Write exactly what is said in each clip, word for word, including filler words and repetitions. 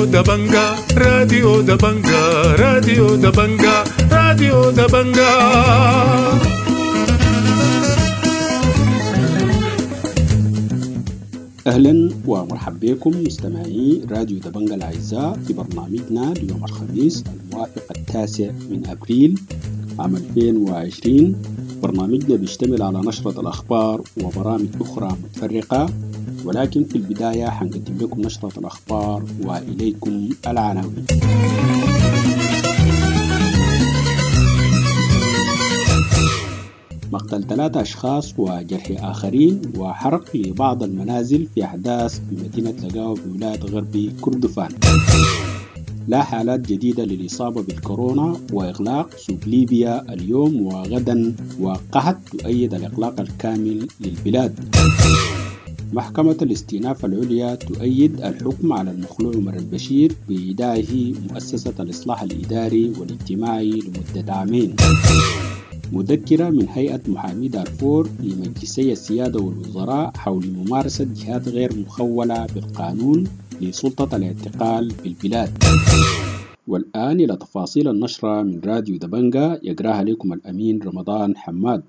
راديو دبنجا، راديو دبنجا، راديو دبنجا، راديو دبنجا. أهلا ومرحبا بكم مستمعي راديو دبنجا الأعزاء في برنامجنا ليوم الخميس الموافق التاسع من أبريل عام ألفين وعشرين. برنامجنا بيشتمل على نشرة الأخبار وبرامج أخرى متفرقة، ولكن في البداية حنقدم لكم نشرة الأخبار وإليكم العناوين. مقتل ثلاثة أشخاص وجرح آخرين وحرق لبعض المنازل في أحداث بمدينة لقاوة بولاية غرب كردفان. لا حالات جديدة للإصابة بالكورونا وإغلاق سوق ليبيا اليوم وغدا، وقحت تؤيد الإغلاق الكامل للبلاد. محكمة الاستئناف العليا تؤيد الحكم على المخلوع عمر البشير بإيداعه مؤسسة الإصلاح الإداري والاجتماعي لمدة عامين. مذكرة من هيئة محامي دارفور لمجلسي السيادة والوزراء حول ممارسة جهات غير مخولة بالقانون لسلطة الاعتقال بالبلاد. والآن إلى تفاصيل النشرة من راديو دبنجا يقراها لكم الأمين رمضان حماد.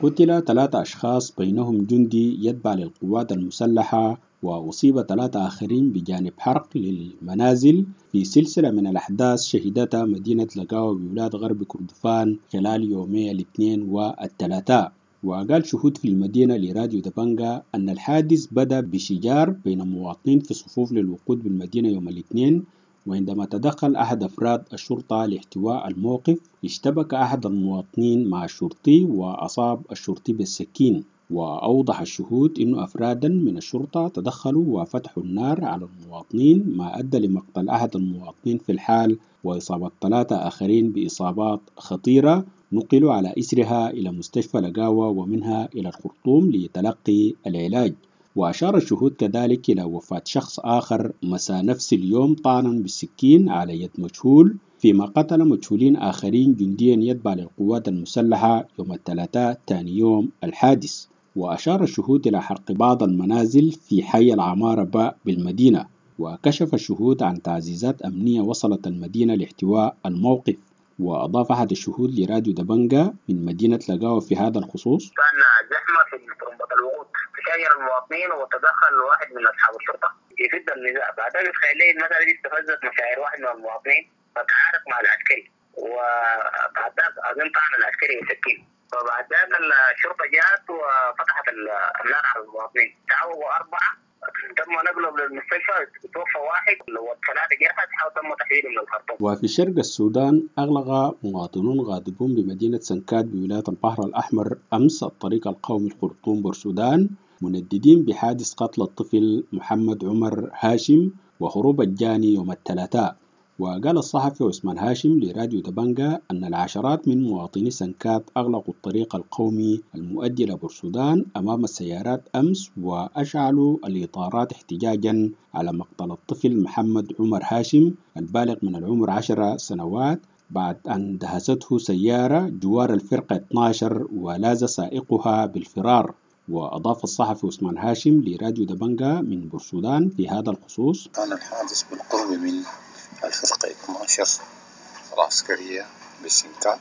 قتل ثلاثة أشخاص بينهم جندي يتبع للقوات المسلحة وأصيب ثلاثة آخرين بجانب حرق للمنازل في سلسلة من الأحداث شهدتها مدينة لقاوة بولاية غرب كردفان خلال يومي الاثنين والثلاثاء. وقال شهود في المدينة لراديو دبنجا أن الحادث بدأ بشجار بين مواطنين في صفوف للوقود بالمدينة يوم الاثنين، وعندما تدخل أحد أفراد الشرطة لاحتواء الموقف اشتبك أحد المواطنين مع الشرطي وأصاب الشرطي بالسكين. وأوضح الشهود أن أفرادا من الشرطة تدخلوا وفتحوا النار على المواطنين، ما أدى لمقتل أحد المواطنين في الحال وإصابة ثلاثة آخرين بإصابات خطيرة نقلوا على إثرها إلى مستشفى لقاوة ومنها إلى الخرطوم لتلقي العلاج. وأشار الشهود كذلك إلى وفاة شخص آخر مساء نفس اليوم طعنا بالسكين على يد مجهول، فيما قتل مجهولين آخرين جنديا يتبع للقوات المسلحة يوم الثلاثاء ثاني يوم الحادث. وأشار الشهود إلى حرق بعض المنازل في حي العمارة باء بالمدينة. وكشف الشهود عن تعزيزات أمنية وصلت المدينة لاحتواء الموقف. وأضاف أحد الشهود لراديو دبنجا من مدينة لقاوة في هذا الخصوص: كان زحمة في طرمبة الوقود، تشاجر المواطنين وتدخل واحد من أصحاب الشرطة يفد النزاع. بعدها بتخيل لي المسألة دي استفزت مشاعر واحد من المواطنين فتعارك مع العسكري، وبعد ذاك أظن طعن العسكري بسكين. فبعد ذاك الشرطة جاءت وفتحت النار على المواطنين، تعوقوا أربعة تم نقلهم للمستشفى، توفى واحد والثلاثة جرحى تم تحويلهم من الخرطوم. وفي شرق السودان أغلق مواطنون غاضبون بمدينة سنكات بولاية البحر الأحمر أمس الطريق القومي الخرطوم بورسودان، منددين بحادث قتل الطفل محمد عمر هاشم وهروب الجاني يوم الثلاثاء. وقال الصحفي عثمان هاشم لراديو دبنجا أن العشرات من مواطني سنكات أغلقوا الطريق القومي المؤدي إلى بورسودان أمام السيارات أمس وأشعلوا الإطارات احتجاجا على مقتل الطفل محمد عمر هاشم البالغ من العمر عشر سنوات بعد أن دهسته سيارة جوار الفرقة اثنا عشر ولاز سائقها بالفرار. وأضاف الصحفي عثمان هاشم لراديو دبنجا من بورسودان في هذا الخصوص: كان الحادث بالقرب من الفرقة اثنا عشر العسكرية بسنكات،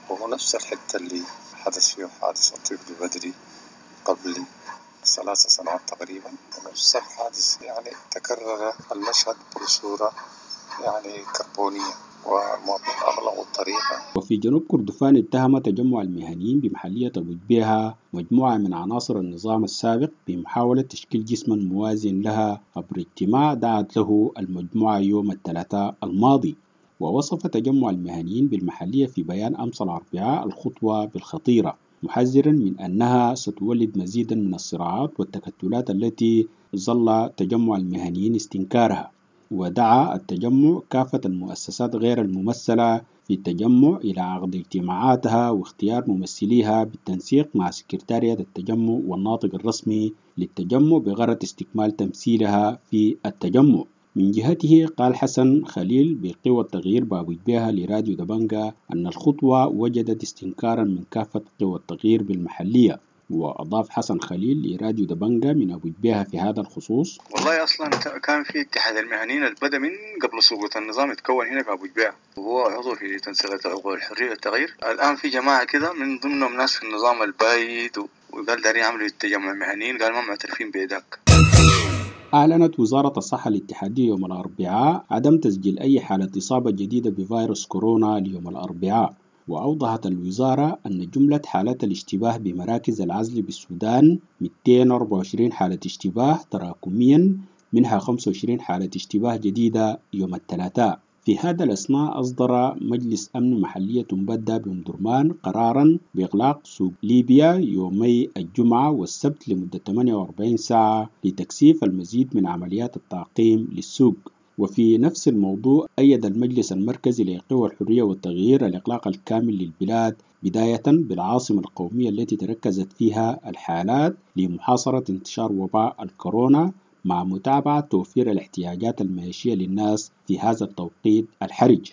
وهو نفس الحتة اللي حدث فيه حادث الطفل بدري قبل ثلاث سنوات تقريبا. نفس الحادث يعني تكرر المشهد بصورة يعني كربونية، والمواطنين أغلقوا الطريق. وفي جنوب كردفان اتهم تجمع المهنيين بمحلية أبو جبيهة مجموعة من عناصر النظام السابق بمحاولة تشكيل جسم موازن لها عبر اجتماع دعت له المجموعة يوم الثلاثاء الماضي. ووصف تجمع المهنيين بالمحلية في بيان أمس الأربعاء الخطوة بالخطيرة، محذرا من أنها ستولد مزيدا من الصراعات والتكتلات التي ظل تجمع المهنيين استنكارها. ودعا التجمع كافة المؤسسات غير الممثلة في التجمع إلى عقد اجتماعاتها واختيار ممثليها بالتنسيق مع سكرتارية التجمع والناطق الرسمي للتجمع بغرض استكمال تمثيلها في التجمع. من جهته قال حسن خليل بقوى التغيير بابو جبيهة لراديو دبنجا أن الخطوة وجدت استنكارا من كافة قوى التغيير بالمحلية، وأضاف حسن خليل لراديو دبنجا من أبو جبيهة في هذا الخصوص: والله أصلا كان في اتحاد المهنيين اللي بدأ من قبل سقوط النظام يتكون هنا في أبو جبيهة، وهو عضو في تنسيقية عقول الحرية والتغيير. الآن في جماعة كده من ضمنهم ناس في النظام البايد، وقال دارين يعملوا تجمع مهنيين، قال ما معترفين بذاك. أعلنت وزارة الصحة الاتحادية يوم الأربعاء عدم تسجيل أي حالة إصابة جديدة بفيروس كورونا ليوم الأربعاء. وأوضحت الوزارة أن جملة حالات الاشتباه بمراكز العزل بالسودان مئتين وأربعة وعشرين حالة اشتباه تراكميا، منها خمسة وعشرين حالة اشتباه جديدة يوم الثلاثاء. في هذا الأثناء أصدر مجلس أمن محلية أمبدة بأم درمان قرارا بإغلاق سوق ليبيا يومي الجمعة والسبت لمدة ثمانية وأربعين ساعة لتكثيف المزيد من عمليات التعقيم للسوق. وفي نفس الموضوع أيد المجلس المركزي لقوى الحرية والتغيير الإغلاق الكامل للبلاد بداية بالعاصمة القومية التي تركزت فيها الحالات لمحاصرة انتشار وباء الكورونا، مع متابعة توفير الاحتياجات المعيشية للناس في هذا التوقيت الحرج.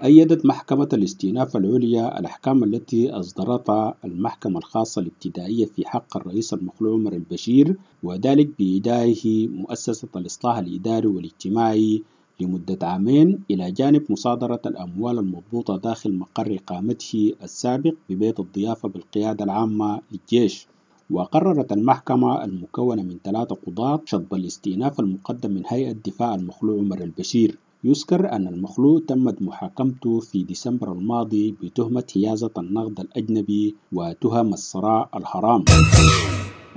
أيدت محكمة الاستئناف العليا الأحكام التي أصدرتها المحكمة الخاصة الابتدائية في حق الرئيس المخلوع عمر البشير، وذلك بإيداعه مؤسسة الإصلاح الإداري والاجتماعي لمدة عامين، إلى جانب مصادرة الأموال المضبوطة داخل مقر إقامته السابق ببيت الضيافة بالقيادة العامة للجيش. وقررت المحكمة المكونة من ثلاثة قضاة شطب الاستئناف المقدم من هيئة دفاع المخلوع عمر البشير. يذكر أن المخلوع تمت محاكمته في ديسمبر الماضي بتهمة حيازة النقد الأجنبي وتهم الثراء الحرام.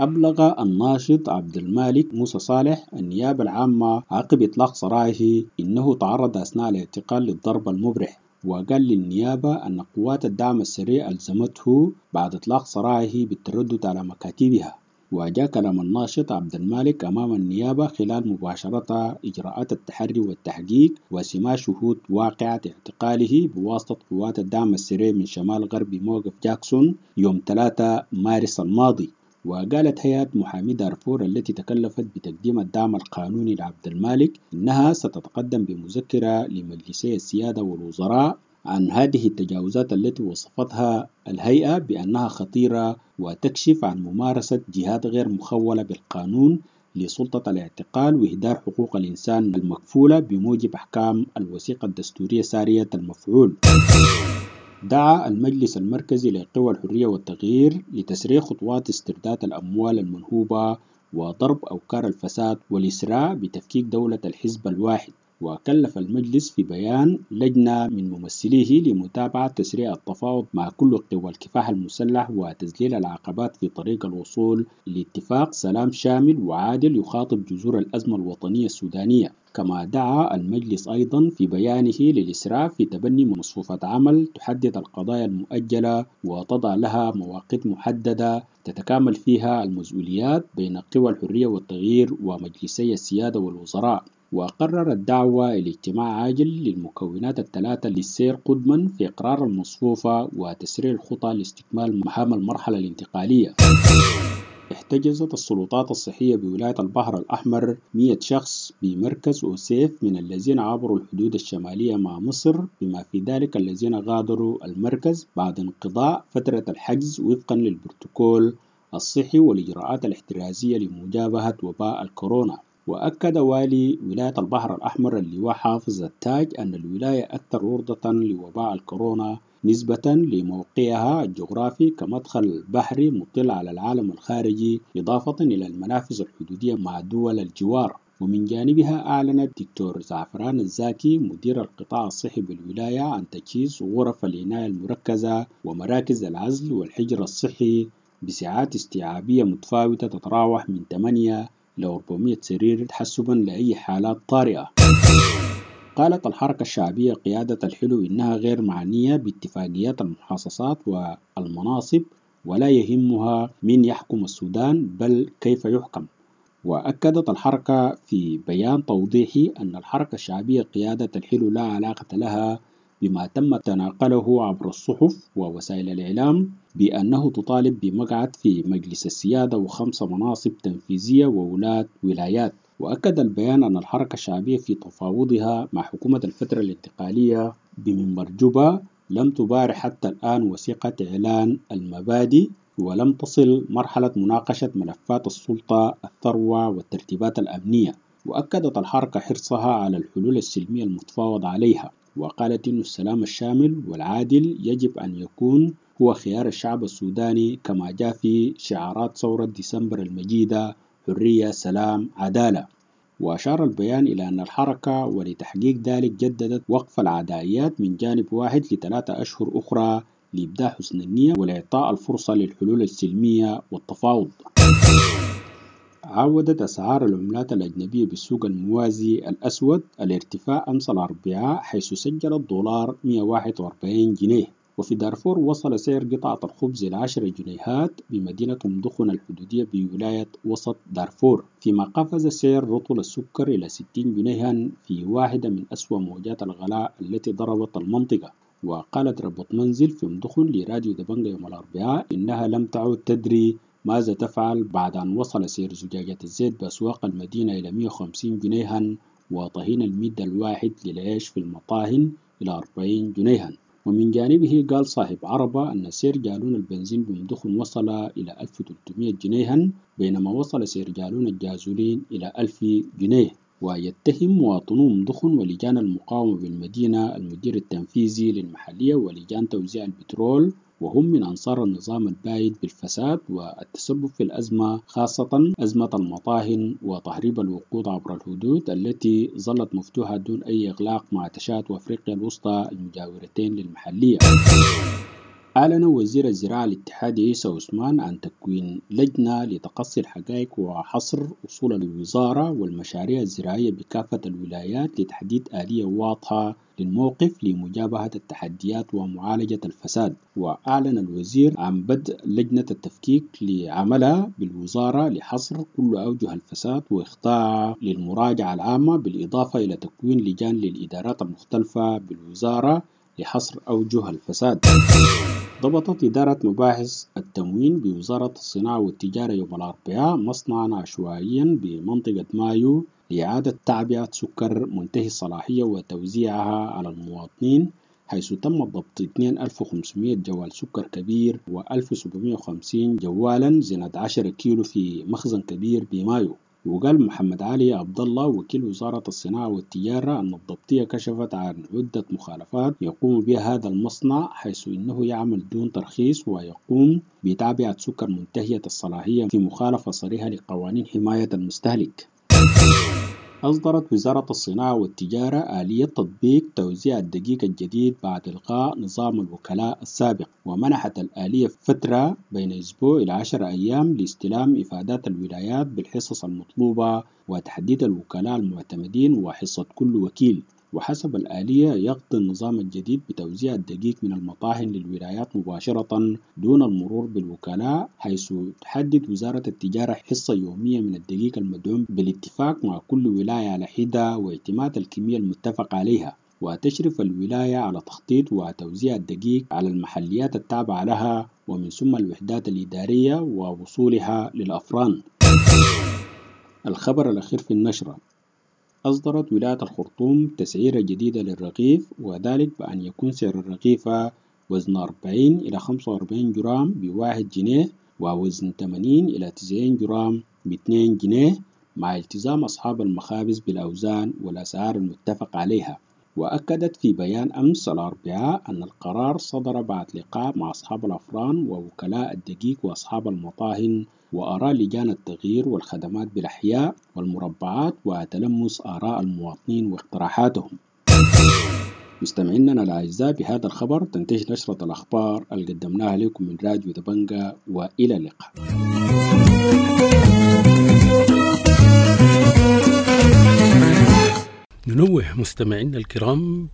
أبلغ الناشط عبد المالك موسى صالح النيابة العامة عقب إطلاق سراحه إنه تعرض أثناء الاعتقال للضرب المبرح، وقال للنيابة أن قوات الدعم السريع ألزمته بعد إطلاق سراحه بالتردد على مكاتبها. وجاء كلام الناشط عبد المالك أمام النيابة خلال مباشرة إجراءات التحري والتحقيق وسماع شهود واقعة اعتقاله بواسطة قوات الدعم السريع من شمال غرب موقف جاكسون يوم ثلاثة مارس الماضي. وقالت هيئة محامي دارفور التي تكلفت بتقديم الدعم القانوني لعبد المالك إنها ستتقدم بمذكرة لمجلسي السيادة والوزراء عن هذه التجاوزات التي وصفتها الهيئة بأنها خطيرة وتكشف عن ممارسة جهات غير مخولة بالقانون لسلطة الاعتقال وإهدار حقوق الإنسان المكفولة بموجب أحكام الوثيقة الدستورية سارية المفعول. دعا المجلس المركزي لقوى الحرية والتغيير لتسريع خطوات استرداد الأموال المنهوبة وضرب أوكار الفساد والإسراع بتفكيك دولة الحزب الواحد. وكلف المجلس في بيان لجنة من ممثليه لمتابعة تسريع التفاوض مع كل قوى الكفاح المسلح وتذليل العقبات في طريق الوصول لاتفاق سلام شامل وعادل يخاطب جذور الأزمة الوطنية السودانية. كما دعا المجلس أيضا في بيانه للإسراع في تبني مصفوفة عمل تحدد القضايا المؤجلة وتضع لها مواقيت محددة تتكامل فيها المسؤوليات بين قوى الحرية والتغيير ومجلسي السيادة والوزراء. وقرر الدعوة إلى اجتماع عاجل للمكونات الثلاثة للسير قدما في إقرار المصفوفة وتسريع الخطى لاستكمال مهام المرحلة الانتقالية. احتجزت السلطات الصحية بولاية البحر الأحمر مئة شخص بمركز أوسيف من الذين عبروا الحدود الشمالية مع مصر، بما في ذلك الذين غادروا المركز بعد انقضاء فترة الحجز وفقا للبروتوكول الصحي والإجراءات الاحترازية لمجابهة وباء الكورونا. وأكد والي ولاية البحر الأحمر اللواء حافظ التاج أن الولاية أكثر عرضة لوباء الكورونا نسبة لموقعها الجغرافي كمدخل بحري مطل على العالم الخارجي، إضافة إلى المنافذ الحدودية مع دول الجوار. ومن جانبها أعلنت دكتور زعفران الزاكي مدير القطاع الصحي بالولاية عن تجهيز غرف العناية المركزة ومراكز العزل والحجر الصحي بسعات استيعابية متفاوتة تتراوح من ثمانية إلى أربعمئة سرير تحسبا لأي حالات طارئة. قالت الحركة الشعبية قيادة الحلو إنها غير معنية باتفاقيات المحاصصات والمناصب ولا يهمها من يحكم السودان بل كيف يحكم. وأكدت الحركة في بيان توضيحي أن الحركة الشعبية قيادة الحلو لا علاقة لها بما تم تناقله عبر الصحف ووسائل الإعلام بأنه تطالب بمقعد في مجلس السيادة وخمس مناصب تنفيذية وولاة ولايات. وأكد البيان أن الحركة الشعبية في تفاوضها مع حكومة الفترة الانتقالية بمنبر جوبا لم تبارح حتى الآن وثيقة إعلان المبادئ ولم تصل مرحلة مناقشة ملفات السلطة الثروة والترتيبات الأمنية. وأكدت الحركة حرصها على الحلول السلمية المتفاوض عليها، وقالت إن السلام الشامل والعادل يجب أن يكون هو خيار الشعب السوداني كما جاء في شعارات ثورة ديسمبر المجيدة: حرية، سلام، عدالة. وأشار البيان إلى أن الحركة ولتحقيق ذلك جددت وقف العدائيات من جانب واحد لثلاثة أشهر أخرى لإبداء حسن النية ولإعطاء الفرصة للحلول السلمية والتفاوض. عودت أسعار العملات الأجنبية بالسوق الموازي الأسود الارتفاع أمس الأربعاء، حيث سجل الدولار مئة وواحد وأربعين جنيه. وفي دارفور وصل سعر قطعة الخبز إلى عشرة جنيهات بمدينة أم دخن الحدودية بولاية وسط دارفور، فيما قفز سعر رطل السكر إلى ستين جنيها في واحدة من أسوأ موجات الغلاء التي ضربت المنطقة. وقالت ربة منزل في أم دخن لراديو دبنجة يوم الأربعاء إنها لم تعد تدري ماذا تفعل بعد أن وصل سعر زجاجة الزيت بأسواق المدينة إلى مئة وخمسين جنيها، وطهين المد الواحد للعيش في المطاهن إلى أربعين جنيها. ومن جانبه قال صاحب عربة أن سعر جالون البنزين بأم دخن وصل إلى ألف وثلاثمئة جنيها، بينما وصل سعر جالون الجازولين إلى ألف جنيه. ويتهم مواطنو أم دخن ولجان المقاومة بالمدينة المدير التنفيذي للمحلية ولجان توزيع البترول، وهم من أنصار النظام البايد، بالفساد والتسبب في الأزمة، خاصة أزمة المطاهن وتهريب الوقود عبر الحدود التي ظلت مفتوحة دون أي إغلاق مع تشاد وأفريقيا الوسطى المجاورتين للمحلية. أعلن وزير الزراعة الاتحادي عيسى عثمان عن تكوين لجنة لتقصي الحقائق وحصر أصول الوزارة والمشاريع الزراعية بكافة الولايات لتحديد آلية واضحة للموقف لمجابهة التحديات ومعالجة الفساد. وأعلن الوزير عن بدء لجنة التفكيك لعملها بالوزارة لحصر كل أوجه الفساد وإخضاعها للمراجعة العامة، بالإضافة إلى تكوين لجان للإدارات المختلفة بالوزارة لحصر أوجه الفساد. ضبطت إدارة مباحث التموين بوزارة الصناعة والتجارة يوم الأربعاء مصنعا عشوائيا بمنطقة مايو لإعادة تعبئة سكر منتهي الصلاحية وتوزيعها على المواطنين، حيث تم ضبط اثنين ألف وخمسمئة جوال سكر كبير وألف وسبعمئة وخمسين جوالا زنة عشرة كيلو في مخزن كبير بمايو. وقال محمد علي عبد الله وكيل وزارة الصناعة والتجارة أن الضبطية كشفت عن عدة مخالفات يقوم بها هذا المصنع، حيث إنه يعمل دون ترخيص ويقوم بتعبئة سكر منتهية الصلاحية في مخالفة صريحة لقوانين حماية المستهلك. أصدرت وزارة الصناعة والتجارة آلية تطبيق توزيع الدقيق الجديد بعد إلغاء نظام الوكلاء السابق، ومنحت الآلية فترة بين أسبوع إلى عشر أيام لاستلام إفادات الولايات بالحصص المطلوبة وتحديد الوكلاء المعتمدين وحصة كل وكيل. وحسب الآلية يقضي النظام الجديد بتوزيع الدقيق من المطاحن للولايات مباشرة دون المرور بالوكلاء، حيث تحدد وزارة التجارة حصة يومية من الدقيق المدعوم بالاتفاق مع كل ولاية على حدة واعتماد الكمية المتفق عليها. وتشرف الولاية على تخطيط وتوزيع الدقيق على المحليات التابعة لها ومن ثم الوحدات الإدارية ووصولها للأفران. الخبر الأخير في النشرة: أصدرت ولاية الخرطوم تسعيرة جديدة للرغيف، وذلك بأن يكون سعر الرغيفة وزن أربعين إلى خمسة وأربعين جرام بواحد جنيه، ووزن ثمانين إلى تسعين جرام باثنين جنيه، مع التزام أصحاب المخابز بالأوزان والأسعار المتفق عليها. وأكدت في بيان أمس الأربعاء أن القرار صدر بعد لقاء مع أصحاب الأفران ووكلاء الدقيق وأصحاب المطاهن وآراء لجان التغيير والخدمات بالأحياء والمربعات وتلمس آراء المواطنين واقتراحاتهم. مستمعينا الأعزاء، بهذا الخبر تنتهي نشرة الأخبار اللي قدمناها لكم من راديو دبنجة، وإلى اللقاء. ننوه مستمعينا الكرام،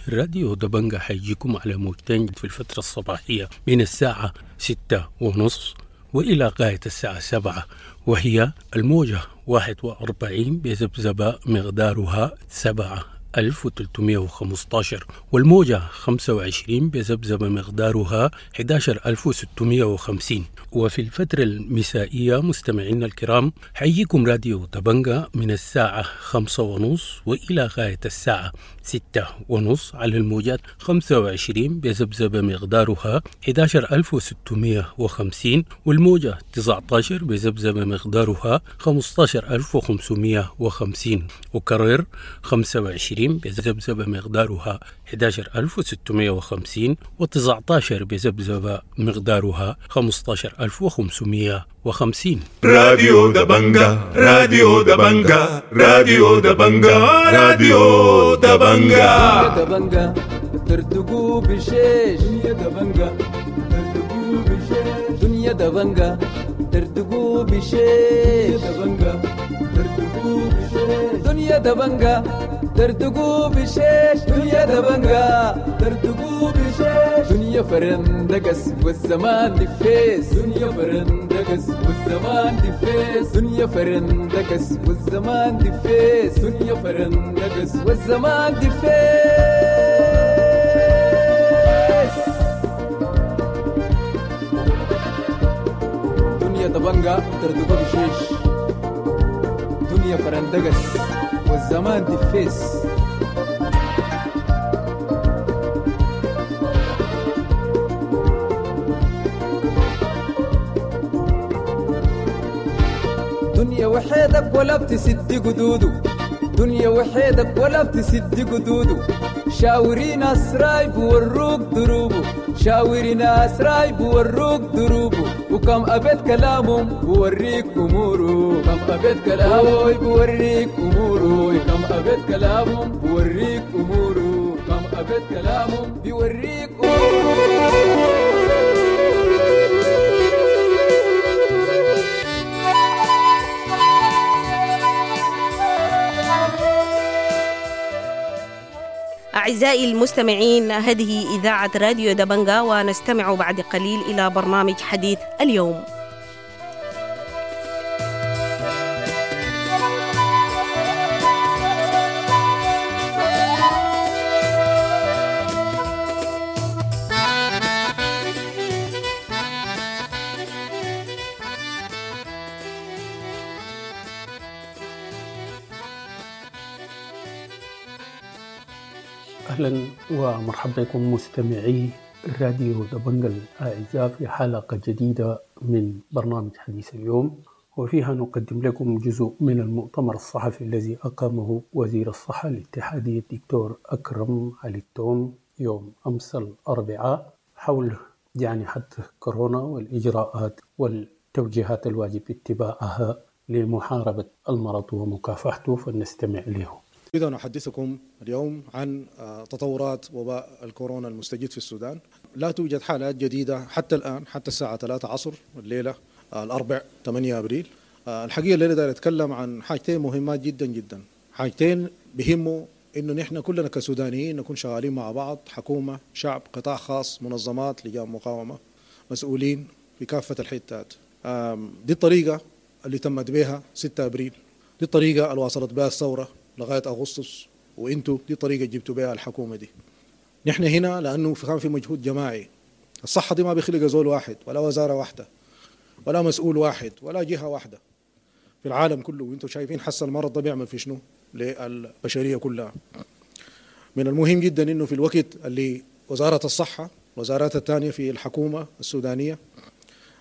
راديو دبنجة حيجيكم على موجتين في الفترة الصباحية من الساعة ستة ونص وإلى غاية الساعة سبعة، وهي الموجة واحد وأربعين بذبذبة مقدارها سبعة ألف وثلاثمائة وخمسة عشر، والموجة خمسة وعشرين بذبذبة مقدارها أحد عشر ألف وستمائة وخمسين. وفي الفترة المسائية مستمعينا الكرام، حيجيكم راديو دبنقا من الساعة خمسة ونص وإلى غاية الساعة ستة ونص على الموجات خمسة وعشرين بذبذبة مقدارها أحد عشر ألف وستمائة وخمسين، والموجة تسعة عشر بذبذبة مقدارها خمسة عشر ألف وخمسمائة وخمسين. وكرر، خمسة وعشرين بذبذبة مقدارها أحد عشر ألف وستمائة وخمسين وتسعة عشر بذبذبة مقدارها خمسة عشر ألف وخمسمائة وخمسين. راديو دبنجا، راديو دبنجا، راديو دبنجا، راديو دبنجا. دبنجا تردقوا بشيش، دنيا دبنجا تردقوا بشيش، دنيا دبنجا تردقوا بشيش، دبنجا تردقوا بشيش، دنيا دبنجا تردقوا بشيش، دنيا دبنجا تردقوا بشيش، دنيا فرندقس والزمان دفيس، دنيا فرندقس والزمان دفيس، دنيا فرندقس والزمان دفيس، دنيا فرندقس والزمان دفيس، دنيا دبنجا تردقوا بشيش، دنيا فرندقس والزمان دفيس. دنيا وحيدك ولا بتسد قدوده، دنيا وحيدك ولا بتسد قدوده، شاوري ناس رايب وروك دروبه، شاوري ناس رايب وروك دروبه، وكم أبيت كلامهم بوريك أموره، كم أبيت كلامه بوريك أموره، كم أبيت كلامهم بوريك أموره، كم أبيت كلامهم بيوريك أموره. أعزائي المستمعين، هذه إذاعة راديو دبنجا، ونستمع بعد قليل إلى برنامج حديث اليوم. أهلا ومرحبا بكم مستمعي راديو دبنجا الأعزاء في حلقة جديدة من برنامج حديث اليوم، وفيها نقدم لكم جزء من المؤتمر الصحفي الذي أقامه وزير الصحة الاتحادي الدكتور أكرم علي التوم يوم أمس الأربعاء حول جائحة كورونا والإجراءات والتوجيهات الواجب اتباعها لمحاربة المرض ومكافحته، فلنستمع له. إذا نحدثكم اليوم عن تطورات وباء الكورونا المستجد في السودان. لا توجد حالات جديدة حتى الآن، حتى الساعة ثلاثة عصر الليلة الأربع ثمانية أبريل. الحقيقة الليلة داير أتكلم عن حاجتين مهمات جدا جدا، حاجتين بهموا إنه نحن كلنا كسودانيين نكون شغالين مع بعض، حكومة، شعب، قطاع خاص، منظمات، لجان مقاومة، مسؤولين في كافة الحتات. دي الطريقة اللي تمت بها ستة أبريل، دي الطريقة اللي واصلت بها الثورة لغاية أغسطس، وإنتوا دي طريقة جبتوا بها الحكومة دي. نحن هنا لأنه كان في مجهود جماعي. الصحة دي ما بيخلقها زول واحد ولا وزارة واحدة ولا مسؤول واحد ولا جهة واحدة في العالم كله، وانتم شايفين حس المرض ده بيعمل في شنو للبشرية كلها. من المهم جدا انه في الوقت اللي وزارة الصحة، وزارات الثانية في الحكومة السودانية،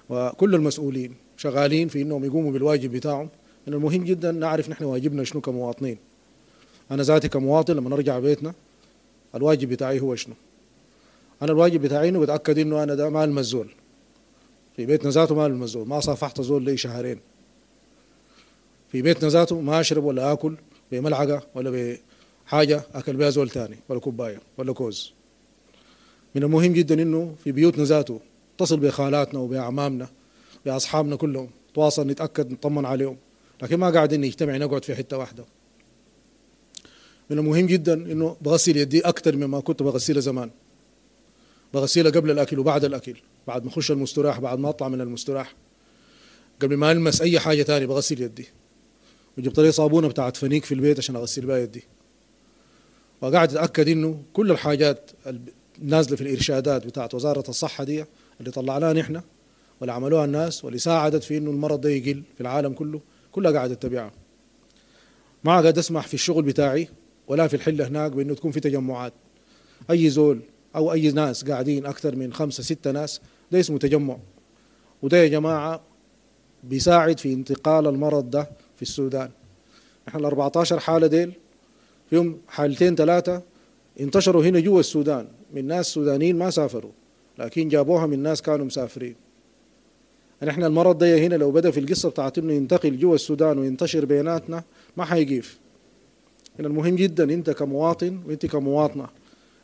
وكل المسؤولين شغالين في انهم يقوموا بالواجب بتاعهم، من المهم جدا نعرف نحن واجبنا شنو كمواطنين. انا ذاتي كمواطن لما نرجع بيتنا الواجب بتاعي هو شنو؟ انا الواجب بتاعي انه بتاكد انه انا ده ما المس زول في بيتنا ذاته، ما المس زول، ما صافحت زول لي شهرين في بيتنا ذاته، ما اشرب ولا اكل بملعقه ولا بحاجه اكل بها زول ثاني ولا كوبايه ولا كوز. من المهم جدا انه في بيوتنا ذاته اتصل بخالاتنا وباعمامنا باصحابنا كلهم، تواصل، نتاكد، نطمن عليهم، لكن ما قاعدين نجتمع نقعد في حته واحده. من المهم جدا انه بغسل يدي اكثر مما كنت بغسلها زمان، بغسلها قبل الاكل وبعد الاكل، بعد ما اخش المستراح، بعد ما اطلع من المستراح، قبل ما المس اي حاجه ثانيه بغسل يدي. وجبت لي صابونه بتاعت فنيك في البيت عشان اغسل بها يدي. وقاعد اتاكد انه كل الحاجات النازلة في الارشادات بتاعت وزارة الصحة دي اللي طلعناها نحن واللي عملوها الناس واللي ساعدت في انه المرض ده يقل في العالم كله، كلها قاعد اتبعها. ما قاعد اسمح في الشغل بتاعي ولا في الحلة هناك بانه تكون في تجمعات. اي زول او اي ناس قاعدين اكثر من خمسة ستة ناس ده اسمه تجمع، وده يا جماعة بيساعد في انتقال المرض ده في السودان. احنا ال أربعتاشر حاله ديل فيهم حالتين ثلاثة انتشروا هنا جوا السودان من ناس سودانيين ما سافروا، لكن جابوها من ناس كانوا مسافرين. نحن المرض ده هنا لو بدا في القصة بتاعت انه ينتقل جوا السودان وينتشر بيناتنا ما حيقيف. هنا المهم جدا انت كمواطن وانت كمواطنه،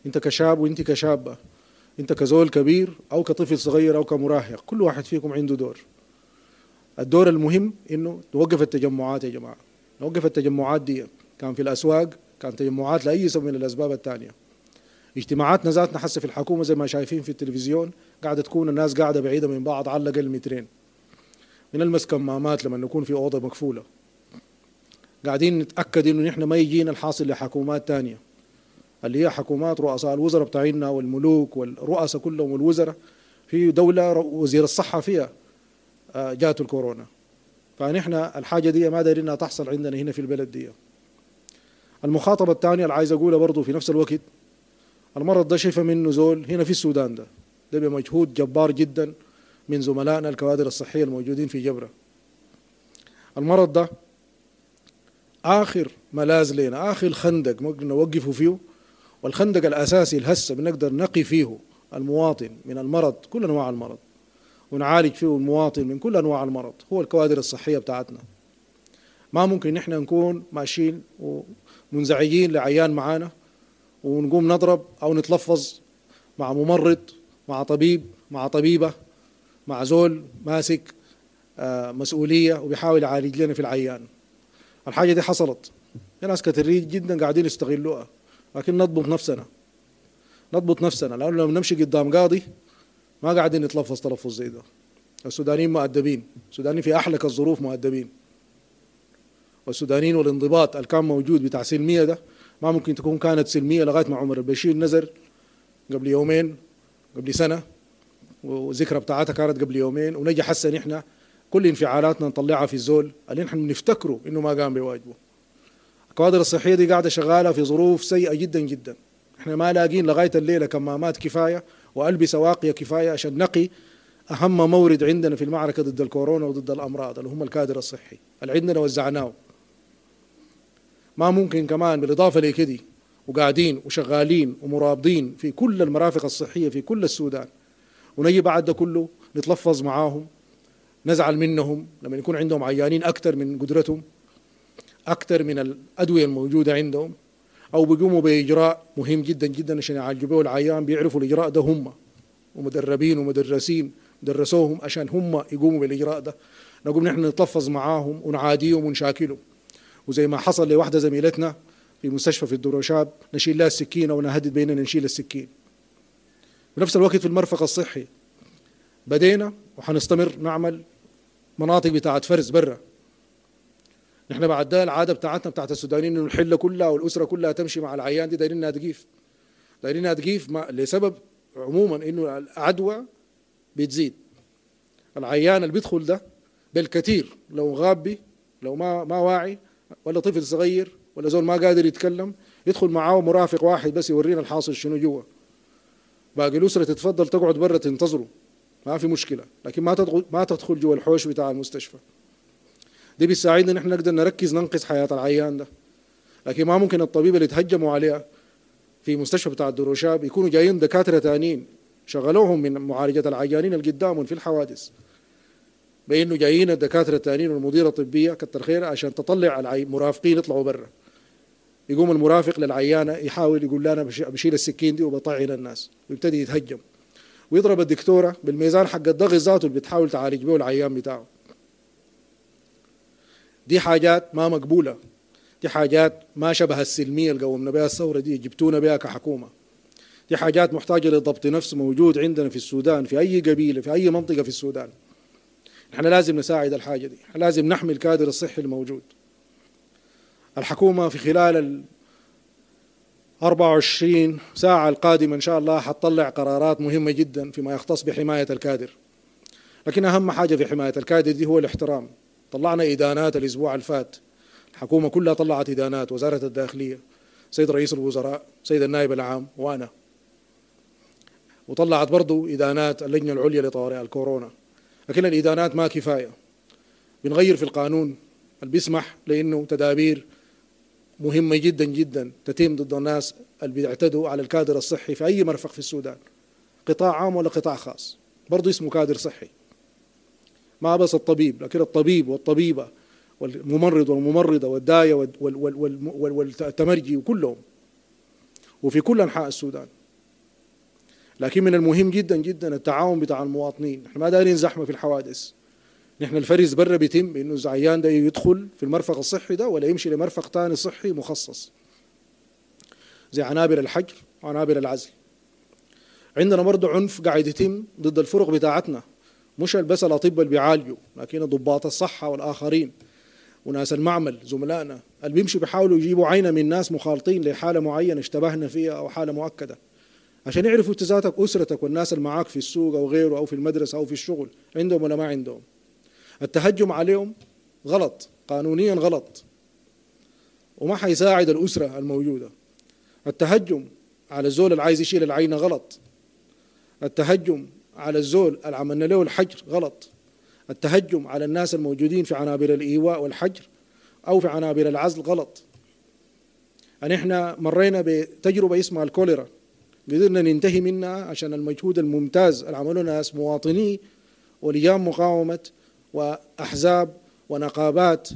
انت كشاب وانت كشابه، انت كزول كبير او كطفل صغير او كمراهق، كل واحد فيكم عنده دور. الدور المهم انه نوقف التجمعات يا جماعة، نوقف التجمعات دي، كان في الاسواق، كان تجمعات لاي سبب من الاسباب الثانية. اجتماعاتنا ذاتنا حسه في الحكومة زي ما شايفين في التلفزيون قاعدة تكون الناس قاعدة بعيدة من بعض على الاقل مترين. بنلمس كمامات لما نكون في اوضة مقفولة. قاعدين نتاكد انه نحن ما يجينا الحاصل لحكومات ثانية، اللي هي حكومات رؤساء الوزراء بتاعنا والملوك والرؤساء كلهم والوزراء في دولة وزير الصحة فيها جاته الكورونا. فنحن الحاجة دي ما دايرينها تحصل عندنا هنا في البلد دي. المخاطبة الثانية اللي عايز اقولها برضه في نفس الوقت، المرض ده شفى منه زول هنا في السودان، ده ده بمجهود جبار جدا من زملائنا الكوادر الصحية الموجودين في جبرة. المرض ده اخر ملاذ لنا، اخر خندق ممكن نوقفه فيه، والخندق الاساسي الهسه بنقدر نقي فيه المواطن من المرض، كل انواع المرض، ونعالج فيه المواطن من كل انواع المرض، هو الكوادر الصحية بتاعتنا. ما ممكن نحن نكون ماشيين ومنزعجين لعيان معانا ونقوم نضرب او نتلفظ مع ممرض، مع طبيب، مع طبيبه، مع زول ماسك مسؤولية وبيحاول يعالج لنا في العيان. الحاجة دي حصلت، في ناس كثيرين جدا قاعدين يستغلوها، لكن نضبط نفسنا، نضبط نفسنا، لانه لما نمشي قدام قاضي ما قاعدين نتلفظ تلفظ زي ده. السودانيين مؤدبين، السودانيين في احلك الظروف مؤدبين. والسودانيين والانضباط اللي كان موجود بتاع سلمية ده ما ممكن تكون كانت سلمية لغاية ما عمر البشير نزل قبل يومين، قبل سنة، وذكرى بتاعتها كانت قبل يومين، ونجي حسن احنا كل انفعالاتنا نطلعها في الزول اللي نحن بنفتكره انه ما قام بواجبه. الكوادر الصحية دي قاعدة شغالة في ظروف سيئه جدا جدا، احنا ما لاقين لغاية الليلة كمامات كفاية والبسه واقيه كفاية عشان نقي اهم مورد عندنا في المعركة ضد الكورونا وضد الامراض اللي هم الكادر الصحي اللي عندنا وزعناه. ما ممكن كمان بالاضافة لكده وقاعدين وشغالين ومرابطين في كل المرافق الصحية في كل السودان، ونجي بعد ده كله نتلفظ معاهم، نزعل منهم لما يكون عندهم عيانين اكثر من قدرتهم، اكثر من الادوية الموجودة عندهم، او بيقوموا باجراء مهم جدا جدا عشان يعالجوا به العيان، بيعرفوا الاجراء ده هم ومدربين ومدرسين درسوهم عشان هم يقوموا بالاجراء ده. نقوم نحن نتلفظ معاهم ونعاديهم ونشاكلهم، وزي ما حصل لواحدة زميلتنا في مستشفى في الدروشاب نشيل لها السكينة ونهدد بيننا نشيل السكين. بنفس الوقت في المرفق الصحي بدينا وحنستمر نعمل مناطق بتاعت فرز برا. نحن بعد ده العادة بتاعتنا بتاعت السودانيين انه الحلة كلها والاسرة كلها تمشي مع العيان دي، دايرينها تقيف، دايرينها تقيف لسبب عموما انه العدوى بتزيد. العيان اللي بيدخل ده بالكثير لو غابي، لو ما ما واعي، ولا طفل صغير، ولا زول ما قادر يتكلم، يدخل معاه مرافق واحد بس يورينا الحاصل شنو جوا. باقي الاسرة تتفضل تقعد برا تنتظره، ما في مشكلة، لكن ما تدخل ما تدخل جوا الحوش بتاع المستشفى. دي بتساعدنا نحن نقدر نركز ننقذ حياة العيان ده. لكن ما ممكن الطبيب اللي تهجموا عليها في مستشفى بتاع الدروشاب يكونوا جايين دكاترة تانيين شغلوهم من معالجة العيانين اللي قدامهم في الحوادث، بانه جايين الدكاترة التانيين والمديره الطبية كتر خير عشان تطلع المرافقين يطلعوا برا. يقوم المرافق للعيانه يحاول يقول لها انا بشيل السكين دي وبطعن الناس، ويبتدي يتهجم ويضرب الدكتورة بالميزان حق الضغط ذاته اللي بتحاول تعالج به العيان بتاعه. دي حاجات ما مقبولة، دي حاجات ما شبه السلمية اللي قومنا بها الثورة دي، جبتونا بها كحكومة. دي حاجات محتاجه لضبط نفس موجود عندنا في السودان، في اي قبيلة، في اي منطقة في السودان. نحن لازم نساعد الحاجة دي، لازم نحمي الكادر الصحي الموجود. الحكومة في خلال أربعة وعشرين ساعة القادمة إن شاء الله حتطلع قرارات مهمة جدا فيما يختص بحماية الكادر. لكن أهم حاجة في حماية الكادر دي هو الاحترام. طلعنا إدانات الأسبوع الفات، الحكومة كلها طلعت إدانات، وزارة الداخلية، سيد رئيس الوزراء، سيد النائب العام، وأنا. وطلعت برضو إدانات اللجنة العليا لطوارئ الكورونا. لكن الإدانات ما كفاية، بنغير في القانون اللي بيسمح لأنه تدابير مهمة جدا جدا تتم ضد الناس اللي بيعتدوا على الكادر الصحي في أي مرفق في السودان، قطاع عام ولا قطاع خاص، برضو اسمه كادر صحي. ما بس الطبيب، لكن الطبيب والطبيبة والممرض والممرضة والداية والتمرجي وكلهم، وفي كل أنحاء السودان. لكن من المهم جدا جدا التعاون بتاع المواطنين. احنا ما دايرين زحمة في الحوادث. نحن الفرز برا بيتم بانه العيان ده يدخل في المرفق الصحي ده ولا يمشي لمرفق ثاني صحي مخصص زي عنابر الحجر وعنابر العزل. عندنا برضه عنف قاعد يتم ضد الفرق بتاعتنا، مش بس الاطباء اللي بيعالجوا، لكن ضباط الصحة والاخرين وناس المعمل زملائنا اللي بيمشوا بيحاولوا يجيبوا عينه من ناس مخالطين لحاله معينة اشتبهنا فيها او حاله مؤكدة، عشان يعرفوا انت ذاتك اسرتك والناس اللي معاك في السوق او غيره او في المدرسة او في الشغل عندهم ولا ما عندهم. التهجم عليهم غلط، قانونيا غلط، وما حيساعد الأسرة الموجودة. التهجم على الزول اللي عايز يشيل العينة غلط. التهجم على الزول اللي عملنا له الحجر غلط. التهجم على الناس الموجودين في عنابر الإيواء والحجر أو في عنابر العزل غلط. يعني احنا مرينا بتجربة اسمها الكوليرا، قدرنا ننتهي منها عشان المجهود الممتاز اللي عملوه ناس مواطني ولجان مقاومة وأحزاب ونقابات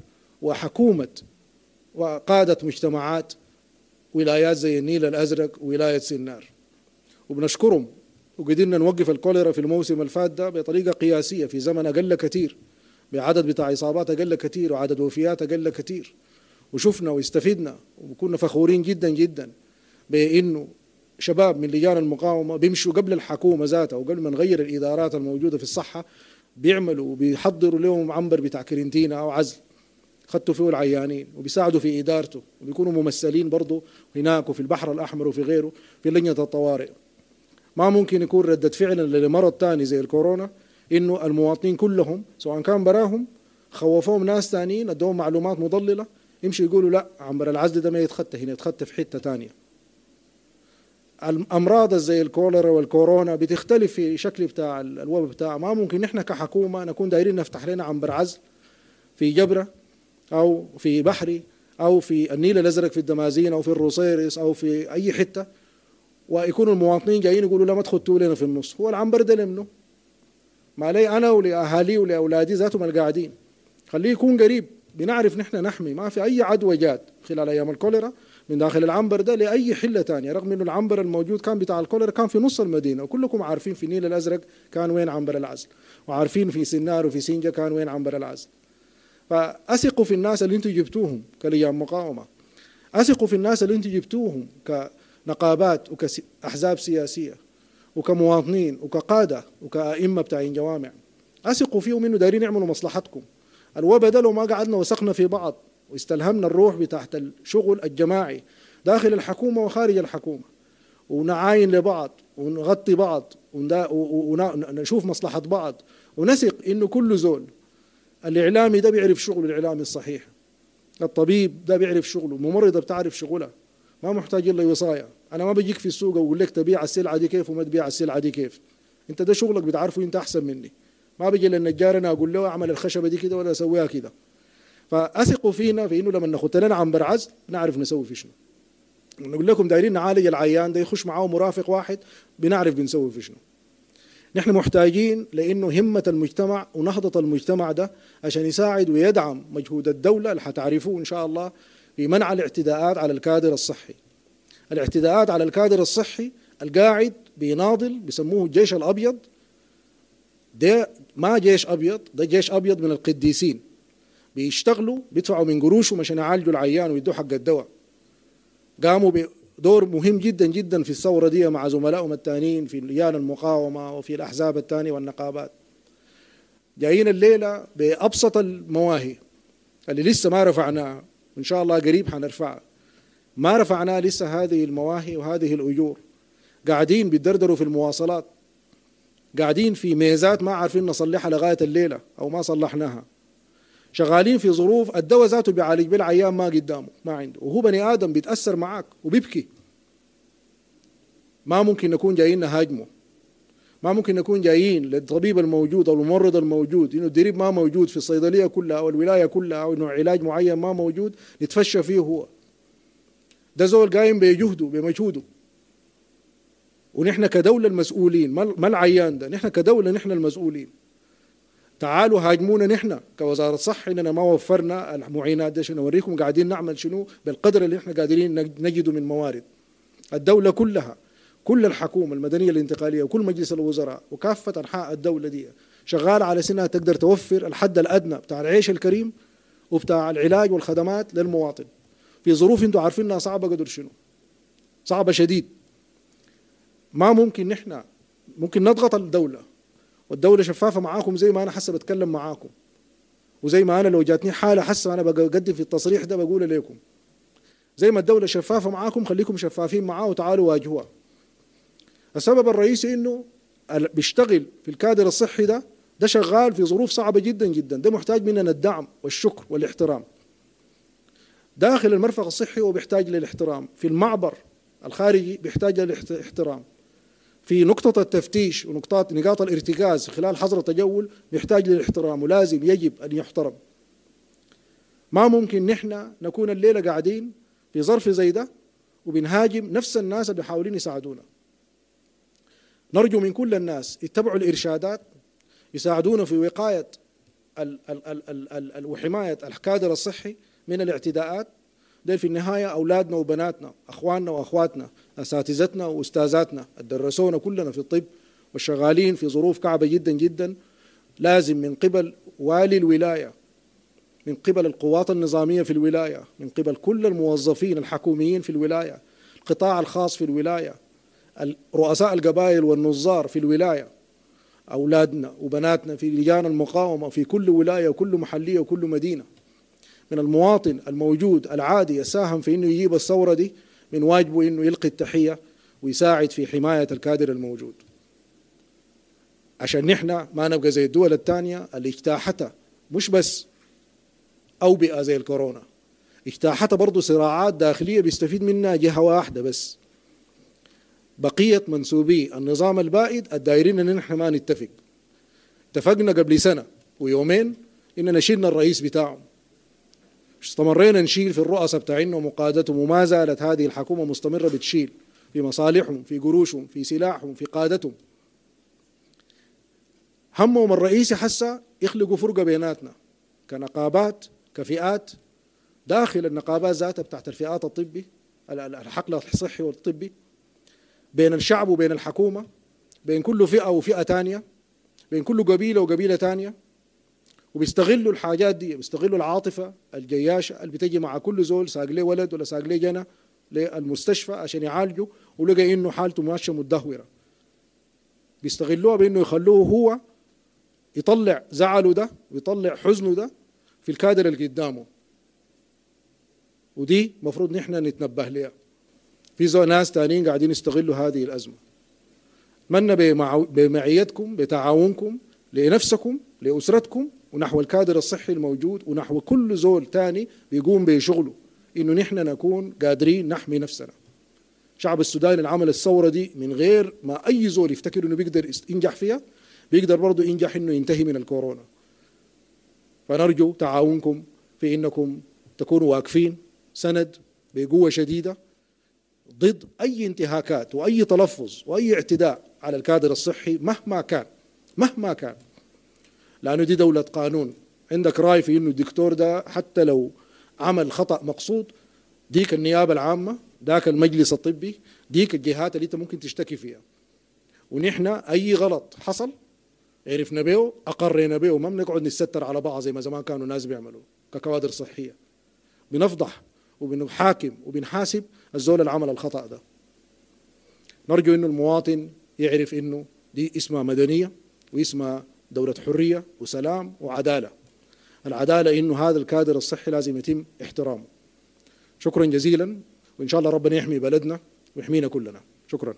وحكومة وقادة مجتمعات ولايات زي النيل الأزرق وولاية سنار، وبنشكرهم. وقدرنا نوقف الكوليرا في الموسم الفات ده بطريقة قياسية في زمن أقل كثير، بعدد بتاع إصابات أقل كثير وعدد وفيات أقل كثير. وشفنا واستفدنا وكنا فخورين جدا جدا بأنه شباب من لجان المقاومة بيمشوا قبل الحكومة ذاتها وقبل ما نغير الإدارات الموجودة في الصحة، بيعملوا وبيحضروا لهم عنبر بتاع كرنتينا أو عزل خدتوا فيه العيانين وبيساعدوا في إدارته، وبيكونوا ممثلين برضو هناك وفي البحر الأحمر وفي غيره في لجنة الطوارئ. ما ممكن يكون ردة فعل لمرض تاني زي الكورونا إنه المواطنين كلهم سواء كان براهم خوفوهم ناس تانيين ادوهم معلومات مضللة يمشوا يقولوا لا عنبر العزل ده ما يتخطى هنا، يتخطى في حتة تانية. الأمراض زي الكوليرا والكورونا بتختلف في شكل بتاع الوباء بتاع. ما ممكن نحن كحكومة نكون دايرين نفتح لنا عنبر عزل في جبرة أو في بحري أو في النيل الأزرق في الدمازين أو في الروصيرس أو في أي حتة، ويكونوا المواطنين جايين يقولوا لا ما تخطوا لنا في النص. هو العنبر ده لمنه؟ ما لي أنا ولأهالي ولأولادي ذاتهم القاعدين، خليه يكون قريب، بنعرف نحن نحمي. ما في أي عدوى جات خلال أيام الكوليرا من داخل العنبر ده لأي حلة تانية، رغم إنه العنبر الموجود كان بتاع الكوليرا كان في نص المدينة، وكلكم عارفين في النيل الأزرق كان وين عنبر العزل، وعارفين في سنار وفي سنجة كان وين عنبر العزل. فأثقوا في الناس اللي انتم جبتوهم كلجان مقاومة، أثقوا في الناس اللي انتم جبتوهم كنقابات وكأحزاب سياسية وكمواطنين وكقادة وكأئمة بتاعين جوامع، أثقوا فيهم إنه دايرين يعملوا مصلحتكم. الوباء ده لو ما قعدنا وثقنا في بعض واستلهمنا الروح بتاعت الشغل الجماعي داخل الحكومة وخارج الحكومة، ونعاين لبعض ونغطي بعض ونشوف مصلحة بعض ونثق إنه كل زول، الإعلامي ده بيعرف شغله الإعلامي الصحيح، الطبيب ده بيعرف شغله، الممرضة بتعرف شغلها، ما محتاج إلا وصاية. أنا ما بجيك في السوق وأقول لك تبيع السلعة دي كيف وما تبيع السلعة دي كيف، أنت ده شغلك بتعرفه أنت أحسن مني. ما بيجي للنجار أنا أقول له أعمل الخشبة دي كده ولا أسويها كده. فأثقوا فينا في إنه لما ناخد لنا عنبر عزل نعرف نسوي في شنو. نقول لكم دايرين نعالج العيان ده يخش معاه مرافق واحد بنعرف بنسوي في شنو. نحن محتاجين لأنه همة المجتمع ونهضة المجتمع ده عشان يساعد ويدعم مجهود الدولة اللي حتعرفوه إن شاء الله في منع الاعتداءات على الكادر الصحي. الاعتداءات على الكادر الصحي القاعد بيناضل بيسموه الجيش الأبيض، ده ما جيش أبيض، ده جيش أبيض من القديسين، بيشتغلوا بيدفعوا من قروشهم عشان يعالجوا العيان ويدوا حق الدواء. قاموا بدور مهم جدا جدا في الثورة دي مع زملائهم الثانيين في لجان المقاومة وفي الأحزاب الثانية والنقابات. جايين الليلة بأبسط المواهي اللي لسه ما رفعناها وإن شاء الله قريب حنرفعها، ما رفعنا لسه هذه المواهي وهذه الأجور. قاعدين بيدردروا في المواصلات، قاعدين في ميزات ما عارفين نصلحها لغاية الليلة أو ما صلحناها، شغالين في ظروف الدواء ذاته بيعالج بالعيان ما قدامه ما عنده، وهو بني آدم بيتأثر معاك وبيبكي. ما ممكن نكون جايين نهاجمه، ما ممكن نكون جايين للطبيب الموجود أو الممرض الموجود إنه الدريب ما موجود في الصيدلية كلها أو الولاية كلها أو إنه علاج معين ما موجود نتفشى فيه هو. ده زول قايم بجهده بمجهوده، ونحن كدولة المسؤولين، ما العيان ده، نحن كدولة نحن المسؤولين. تعالوا هاجمونا نحن كوزارة صحة إننا ما وفرنا المعينات دي عشان نوريكم قاعدين نعمل شنو بالقدر اللي احنا قادرين نجده من موارد. الدولة كلها، كل الحكومة المدنية الانتقالية وكل مجلس الوزراء وكافة أنحاء الدولة دي شغالة على سنها تقدر توفر الحد الأدنى بتاع العيش الكريم وبتاع العلاج والخدمات للمواطن في ظروف انتم عارفينها صعبة قدر شنو، صعبة شديد. ما ممكن نحن ممكن نضغط الدولة، والدولة شفافة معاكم زي ما أنا حاسة بتكلم معاكم، وزي ما أنا لو جاتني حالة حاسة أنا بقدم في التصريح ده بقول لكم، زي ما الدولة شفافة معاكم خليكم شفافين معاه وتعالوا واجهوها. السبب الرئيسي إنه بيشتغل في الكادر الصحي ده ده شغال في ظروف صعبة جدا جدا، ده محتاج مننا الدعم والشكر والاحترام. داخل المرفق الصحي هو بيحتاج للاحترام، في المعبر الخارجي بيحتاج للاحترام، في نقطة التفتيش ونقطات نقاط الارتكاز خلال حظر التجول بيحتاج للاحترام ولازم يجب أن يحترم. ما ممكن نحن نكون الليلة قاعدين في ظرف زي ده وبنهاجم نفس الناس اللي بيحاولين يساعدونا. نرجو من كل الناس يتبعوا الإرشادات، يساعدونا في وقاية ال ال ال ال ال ال وحماية الكادر الصحي من الاعتداءات. ديل في النهاية أولادنا وبناتنا، أخواننا وأخواتنا، أساتذتنا وأستاذاتنا، درسونا كلنا في الطب والشغالين في ظروف كعبة جدا جدا. لازم من قبل والي الولاية، من قبل القوات النظامية في الولاية، من قبل كل الموظفين الحكوميين في الولاية، القطاع الخاص في الولاية، رؤساء القبائل والنظار في الولاية، أولادنا وبناتنا في لجان المقاومة في كل ولاية وكل محلية وكل مدينة. من المواطن الموجود العادي يساهم في إنه يجيب الثورة دي، من واجبه إنه يلقي التحية ويساعد في حماية الكادر الموجود، عشان نحن ما نبقى زي الدول الثانية اللي اجتاحتها مش بس أوبئة زي الكورونا، اجتاحتها برضو صراعات داخلية بيستفيد منها جهة واحدة بس. بقية منسوبي النظام البائد الدايرين إن نحن ما نتفق. اتفقنا قبل سنة ويومين إننا شيلنا الرئيس بتاعهم، استمرينا نشيل في الرؤساء بتاعنا ومقادتهم، وما زالت هذه الحكومة مستمرة بتشيل في مصالحهم، في قروشهم، في سلاحهم، في قادتهم. همهم الرئيسي حسا يخلقوا فرقة بيناتنا كنقابات، كفئات، داخل النقابات ذاتها بتاعت الفئات الطبي، الحقل الصحي والطبي، بين الشعب وبين الحكومة، بين كل فئة وفئة تانية، بين كل قبيلة وقبيلة تانية. وبيستغلوا الحاجات دي، بيستغلوا العاطفة الجياشة اللي بتجي مع كل زول ساق ليه ولد ولا ساق ليه جنى للمستشفى عشان يعالجه ولقى إنه حالته ماشية متدهورة. بيستغلوها بإنه يخلوه هو يطلع زعله ده ويطلع حزنه ده في الكادر اللي قدامه، ودي مفروض نحن نتنبه لها. في زو ناس تانيين قاعدين يستغلوا هذه الأزمة. أتمنى بمعيتكم، بتعاونكم لنفسكم، لأسرتكم، ونحو الكادر الصحي الموجود، ونحو كل زول تاني بيقوم بشغله، إنه نحن نكون قادرين نحمي نفسنا. شعب السوداني اللي عمل الثورة دي من غير ما أي زول يفتكر إنه بيقدر ينجح فيها، بيقدر برضه ينجح إنه ينتهي من الكورونا. فنرجو تعاونكم في إنكم تكونوا واقفين سند بقوة شديدة ضد أي انتهاكات وأي تلفظ وأي اعتداء على الكادر الصحي مهما كان، مهما كان، لأنه دي دولة قانون. عندك رأي في إنه الدكتور ده حتى لو عمل خطأ مقصود، ديك النيابة العامة، داك المجلس الطبي، ديك الجهات اللي أنت ممكن تشتكي فيها. ونحن أي غلط حصل عرفنا به، أقرينا به، وما بنقعد نستر على بعض زي ما زمان كانوا الناس بيعملوا ككوادر صحية. بنفضح وبنحاكم وبنحاسب الزول اللي عمل الخطأ ده. نرجو إنه المواطن يعرف إنه دي اسمها مدنية واسمها دولة حرية وسلام وعدالة. العدالة إنه هذا الكادر الصحي لازم يتم احترامه. شكرا جزيلا، وإن شاء الله ربنا يحمي بلدنا ويحمينا كلنا. شكرا.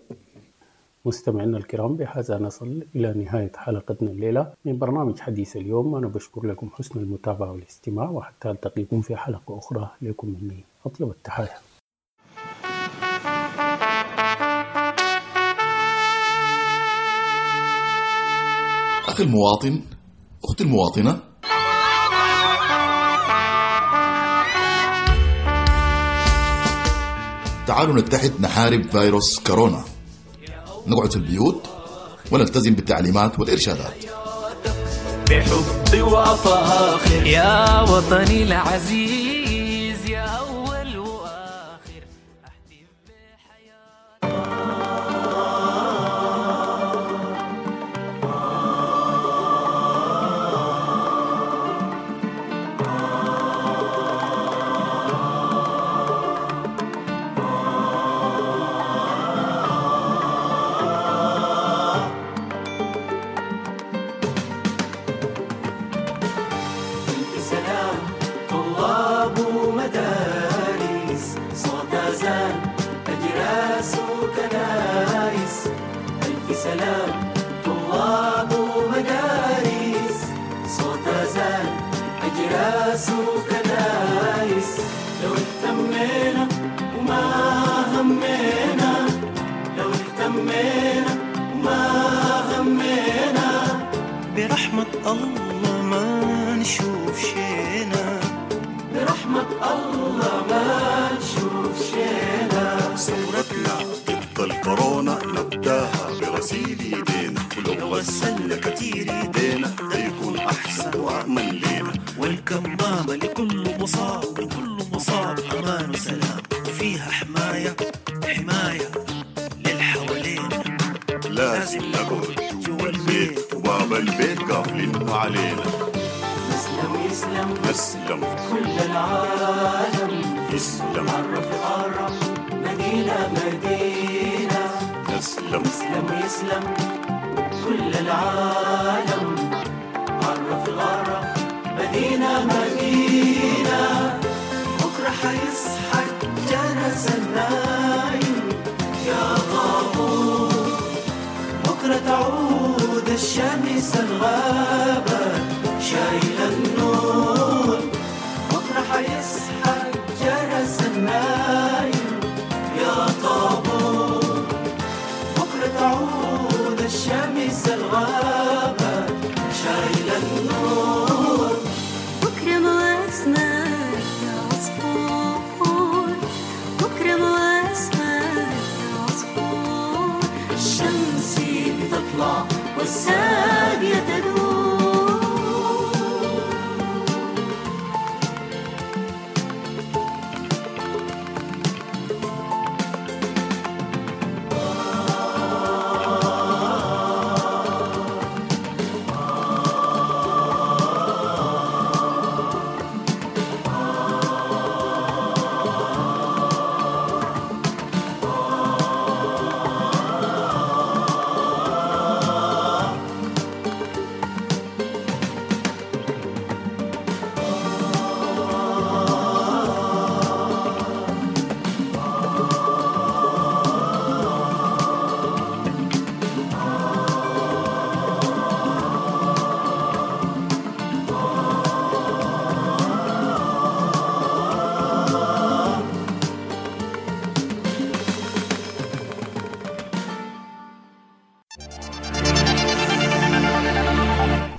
مستمعينا الكرام، بهذا نصل إلى نهاية حلقتنا الليلة من برنامج حديث اليوم. أنا بشكر لكم حسن المتابعة والاستماع، وحتى ألتقيكم في حلقة أخرى لكم مني أطيب التحايا. أخي المواطن، أختي المواطنة، تعالوا نتحد نحارب فيروس كورونا. نقعد في البيوت ونلتزم بالتعليمات والإرشادات. بحب وأفاخر يا وطني العزيز، يا أول وآخر أحتف بحياتي. سلام طلاب ومدارس، صوت أذان أجراس وكنايس. ألف سلام طلاب ومدارس، صوت أذان أجراس وكنايس. لو اهتمينا وما همينا، لو اهتمينا وما همينا، برحمة الله ما نشوف شينا، برحمة الله ما نشوف شينا. ثورتنا ضد الكورونا نبداها بغسيل ايدينا، ولو غسلنا كتير ايدينا ده يكون احسن وامن لينا. والكمامة لكل مصاب، لكل مصاب امان وسلام، وفيها حماية حماية للحوالينا. لازم نقعد جوا البيت وباب البيت قافلين علينا. نسلم يسلم نسلم كل العالم، يسلم عرف عرف مدينة مدينة. نسلم يسلم يسلم كل العالم، عرف غرف مدينة مدينة. بكرة حيصحى الجرس النايم يا طابور، بكرة تعود الشمس الغابة شايلة النور. بكرة حيصحى الجرس النايم يا طابور، بكرة تعود الشمس الغابة شايلة النور. بكرة مواسمك يا عصفور، بكرة مواسمك يا عصفور، الشمس بتطلع والساقية تدور.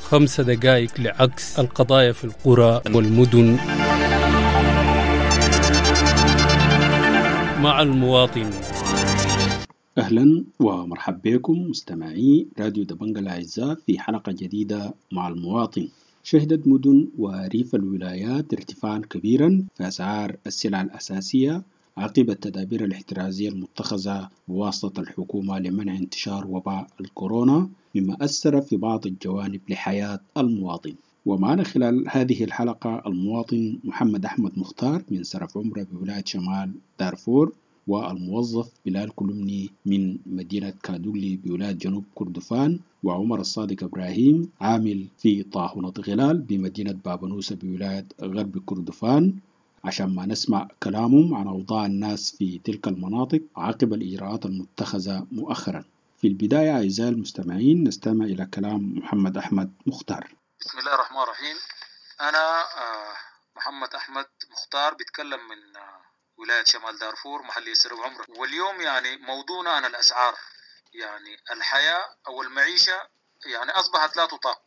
خمس دقائق لعكس القضايا في القرى والمدن مع المواطن. أهلا ومرحبا بكم مستمعي راديو دبنجا الأعزاء في حلقة جديدة مع المواطن. شهدت مدن وريف الولايات ارتفاعا كبيرا في أسعار السلع الأساسية عقب التدابير الاحترازية المتخذة بواسطة الحكومة لمنع انتشار وباء الكورونا، مما أثر في بعض الجوانب لحياة المواطن. ومعنا خلال هذه الحلقة المواطن محمد أحمد مختار من سرف عمرة بولاية شمال دارفور، والموظف بلال كلمني من مدينة كادولي بولاية جنوب كردفان، وعمر الصادق إبراهيم عامل في طاحونة غلال بمدينة بابنوسة بولاية غرب كردفان. عشان ما نسمع كلامهم عن أوضاع الناس في تلك المناطق عقب الإجراءات المتخذة مؤخرا. في البداية أعزائي المستمعين نستمع إلى كلام محمد أحمد مختار. بسم الله الرحمن الرحيم. أنا محمد أحمد مختار بيتكلم من ولاية شمال دارفور محلية سرب عمرة. واليوم يعني موضوعنا عن الأسعار، يعني الحياة أو المعيشة يعني أصبحت لا تطاق،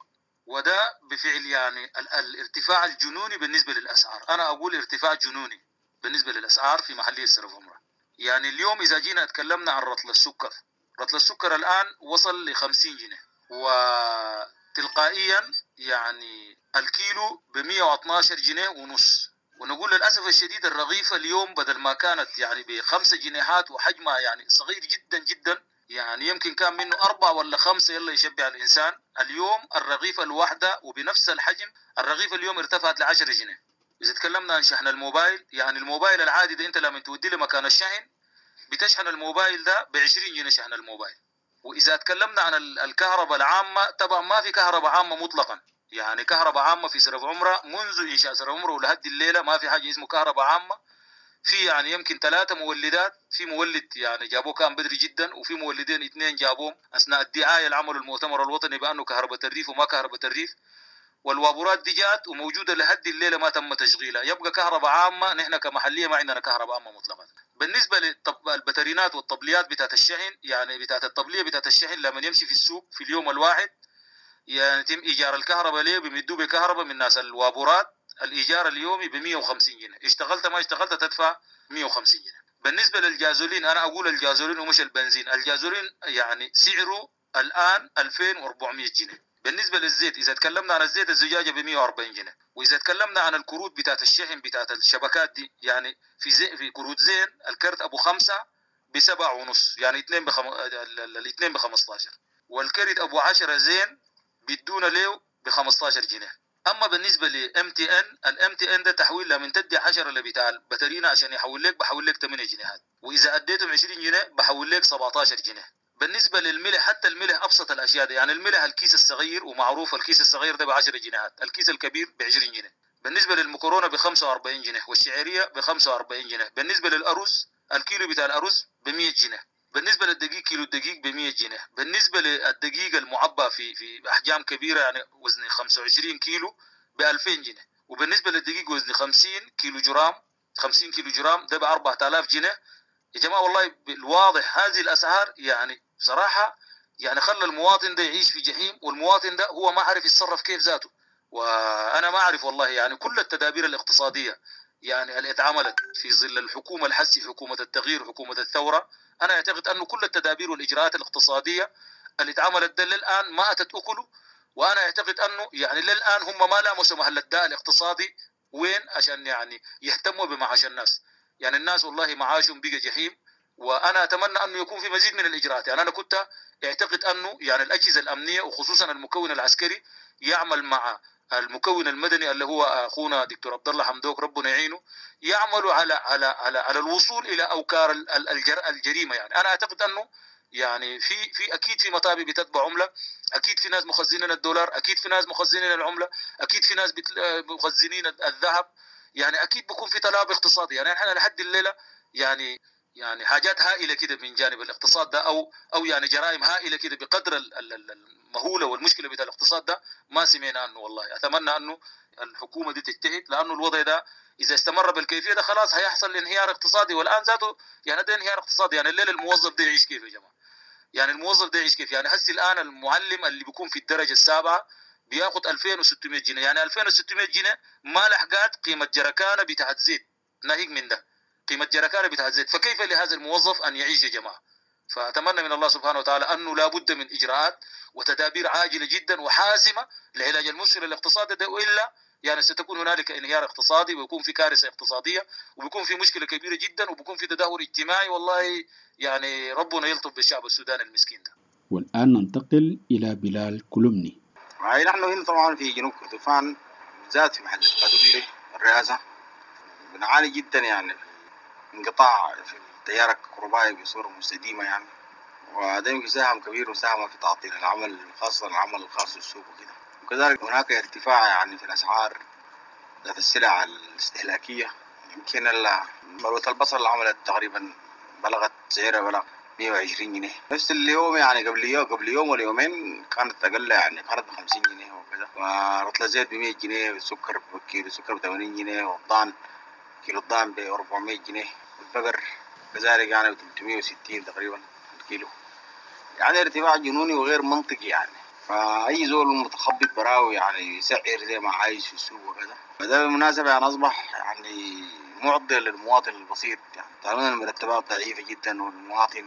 وده بفعل يعني الارتفاع الجنوني بالنسبة للأسعار. أنا أقول ارتفاع جنوني بالنسبة للأسعار في محلية سرب عمرة. يعني اليوم إذا جينا اتكلمنا عن رطل السكر، رطل السكر الآن وصل ل خمسين جنيه، وتلقائيا يعني الكيلو ب مئة واثني عشر جنيه ونص. ونقول للأسف الشديد الرغيفة اليوم بدل ما كانت يعني بخمسة جنيهات وحجمها يعني صغير جدا جدا، يعني يمكن كان منه أربعة ولا خمسة يلا يشبع الإنسان، اليوم الرغيفة الواحدة وبنفس الحجم الرغيفة اليوم ارتفعت لعشرة جنيه. إذا تكلمنا عن شحن الموبايل، يعني الموبايل العادي ده أنت لما تودي لمكان الشحن بتشحن الموبايل ده بعشرين جنيه شحن الموبايل. وإذا تكلمنا عن الكهرباء العامة، طبعا ما في كهرباء عامة مطلقا، يعني كهرباء عامة في سرب عمرة منذ إنشاء سرب عمرة ولحد الليلة ما في حاجة اسمه كهرباء عامة. في يعني يمكن ثلاثة مولدات، في مولد يعني جابوه كان بدري جدا، وفي مولدين اثنين جابوهم أثناء الدعاية اللي عملوا المؤتمر الوطني بأنه كهرباء الريف وما كهرباء الريف. والوابورات دي جات وموجودة لحد الليلة ما تم تشغيلها. يبقى كهرباء عامة نحن كمحلية ما عندنا كهرباء عامة مطلقا. بالنسبة للبترينات والطبليات بتاعت الشحن، يعني بتاعت الطبلية بتاعت الشحن لما يمشي في السوق في اليوم الواحد يعني يتم إيجار الكهرباء ليه، بيمدوه بكهرباء من ناس الوابورات، الإيجار اليومي ب مئة وخمسين جنيه، اشتغلت ما اشتغلت تدفع مئة وخمسين جنيه. بالنسبة للجازولين، أنا أقول الجازولين ومش البنزين، الجازولين يعني سعره الآن ألفين وأربعمئة جنيه. بالنسبة للزيت، إذا تكلمنا عن الزيت الزجاجة ب مئة وأربعين جنيه. وإذا تكلمنا عن الكروت بتاعت الشحن بتاعت الشبكات دي، يعني في زي في كروت زين الكرت أبو خمسة بسبعة ونص، يعني اثنين بخم... الاثنين بخمستاشر، والكرت أبو عشرة زين بيدونا له ب خمستاشر جنيه. اما بالنسبه ل ام تي ان، الام تي ان ده تحويل لما تدي عشرة اللي بتاع البترينا عشان يحول لك بحول لك ثمانية جنيهات، واذا اديتهم عشرين جنيه بحول لك سبعتاشر جنيه. بالنسبه للملح، حتى الملح ابسط الاشياء دي، يعني الملح الكيس الصغير ومعروف الكيس الصغير ده ب عشرة جنيهات، الكيس الكبير ب عشرين جنيه. بالنسبه للمكرونه ب خمسة وأربعين جنيه، والشعيريه ب خمسة وأربعين جنيه. بالنسبه للارز الكيلو بتاع الارز ب مئة جنيه. بالنسبه للدقيق كيلو الدقيق ب مئة جنيه. بالنسبه للدقيق المعبى في في احجام كبيره يعني وزن خمسة وعشرين كيلو ب ألفين جنيه. وبالنسبه للدقيق وزن خمسين كيلو جرام، خمسين كيلو جرام ده ب أربعة آلاف جنيه. يا جماعه والله بالواضح هذه الاسعار يعني بصراحه يعني خلى المواطن ده يعيش في جحيم، والمواطن ده هو ما عارف يتصرف كيف ذاته. وانا ما اعرف والله يعني كل التدابير الاقتصاديه يعني اللي اتعملت في ظل الحكومه الحسي، حكومه التغيير، حكومه الثوره، انا اعتقد انه كل التدابير والاجراءات الاقتصاديه اللي اتعملت ده للان ما اتت اكله. وانا اعتقد انه يعني للان هم ما لامسوا محل الداء الاقتصادي وين عشان يعني يهتموا بمعاش الناس. يعني الناس والله معاشهم بقى جحيم. وانا اتمنى انه يكون في مزيد من الاجراءات. يعني انا كنت اعتقد انه يعني الاجهزه الامنيه وخصوصا المكون العسكري يعمل مع المكون المدني اللي هو اخونا دكتور عبد الله حمدوك ربنا يعينه، يعملوا على على على على الوصول الى اوكار الجريمه. يعني انا اعتقد انه يعني في في اكيد في مطابع بتتبع عمله، اكيد في ناس مخزنين الدولار، اكيد في ناس مخزنين العمله، اكيد في ناس مخزنين الذهب، يعني اكيد بيكون في تلاعب اقتصادي. يعني احنا لحد الليله يعني يعني حاجات هائله كده من جانب الاقتصاد ده، او او يعني جرائم هائله كده بقدر المهوله والمشكله بتاع الاقتصاد ده ما سمعنا عنه. والله اتمنى انه الحكومه دي تجتهد، لانه الوضع ده اذا استمر بالكيفيه ده خلاص هيحصل انهيار اقتصادي. والان ذاته يعني ده انهيار اقتصادي. يعني الليله الموظف ده يعيش كيف يا جماعه؟ يعني الموظف ده يعيش كيف؟ يعني هسي الان المعلم اللي بيكون في الدرجه السابعه بياخد ألفين وستمئة جنيه، يعني ألفين وستمئة جنيه ما لحقات قيمه جركانه بتاعت زيت، ناهيك من ده قيمة جركانة بتاعت زيت. فكيف لهذا الموظف أن يعيش يا جماعة؟ فأتمنى من الله سبحانه وتعالى أنه لا بد من إجراءات وتدابير عاجلة جدا وحاسمة لعلاج المشكلة الاقتصادي ده، وإلا يعني ستكون هنالك انهيار اقتصادي، ويكون في كارثة اقتصادية، وبيكون في مشكلة كبيرة جدا، وبيكون في تدهور اجتماعي. والله يعني ربنا يلطف بالشعب السوداني المسكين ده. والآن ننتقل إلى بلال كولومني. نحن هنا طبعا في جنوب كردفان بالذات في محل كادوغلي الرئاسة بنعاني جدا يعني انقطاع في التيار الكهربائي بصورة مستديمة يعني، وده يمكن ساهم كبير وساهم في تعطيل العمل، خاصة العمل الخاص بالسوق وكده. وكذلك هناك ارتفاع يعني في الأسعار ذات السلع الاستهلاكية يمكن مروة البصل اللي عملت تقريبا بلغت سعرها بلغ مية وعشرين جنيه نفس اليوم، يعني قبل يوم قبل يوم ولا يومين كانت أقل، يعني كانت بخمسين جنيه وكذا. ورطل الزيت بمية جنيه، والسكر كيلو السكر بثمانين جنيه، والضان كيلو الضان بأربعمية جنيه، والبقر كذلك يعني بثلاثمية وستين تقريبا الكيلو. يعني ارتفاع جنوني وغير منطقي يعني. فأي زول متخبط براوي يعني يسعر زي ما عايز في السوق وكذا. فده بالمناسبة يعني أصبح يعني معضل للمواطن البسيط، يعني طالما المرتبات ضعيفة جدا والمواطن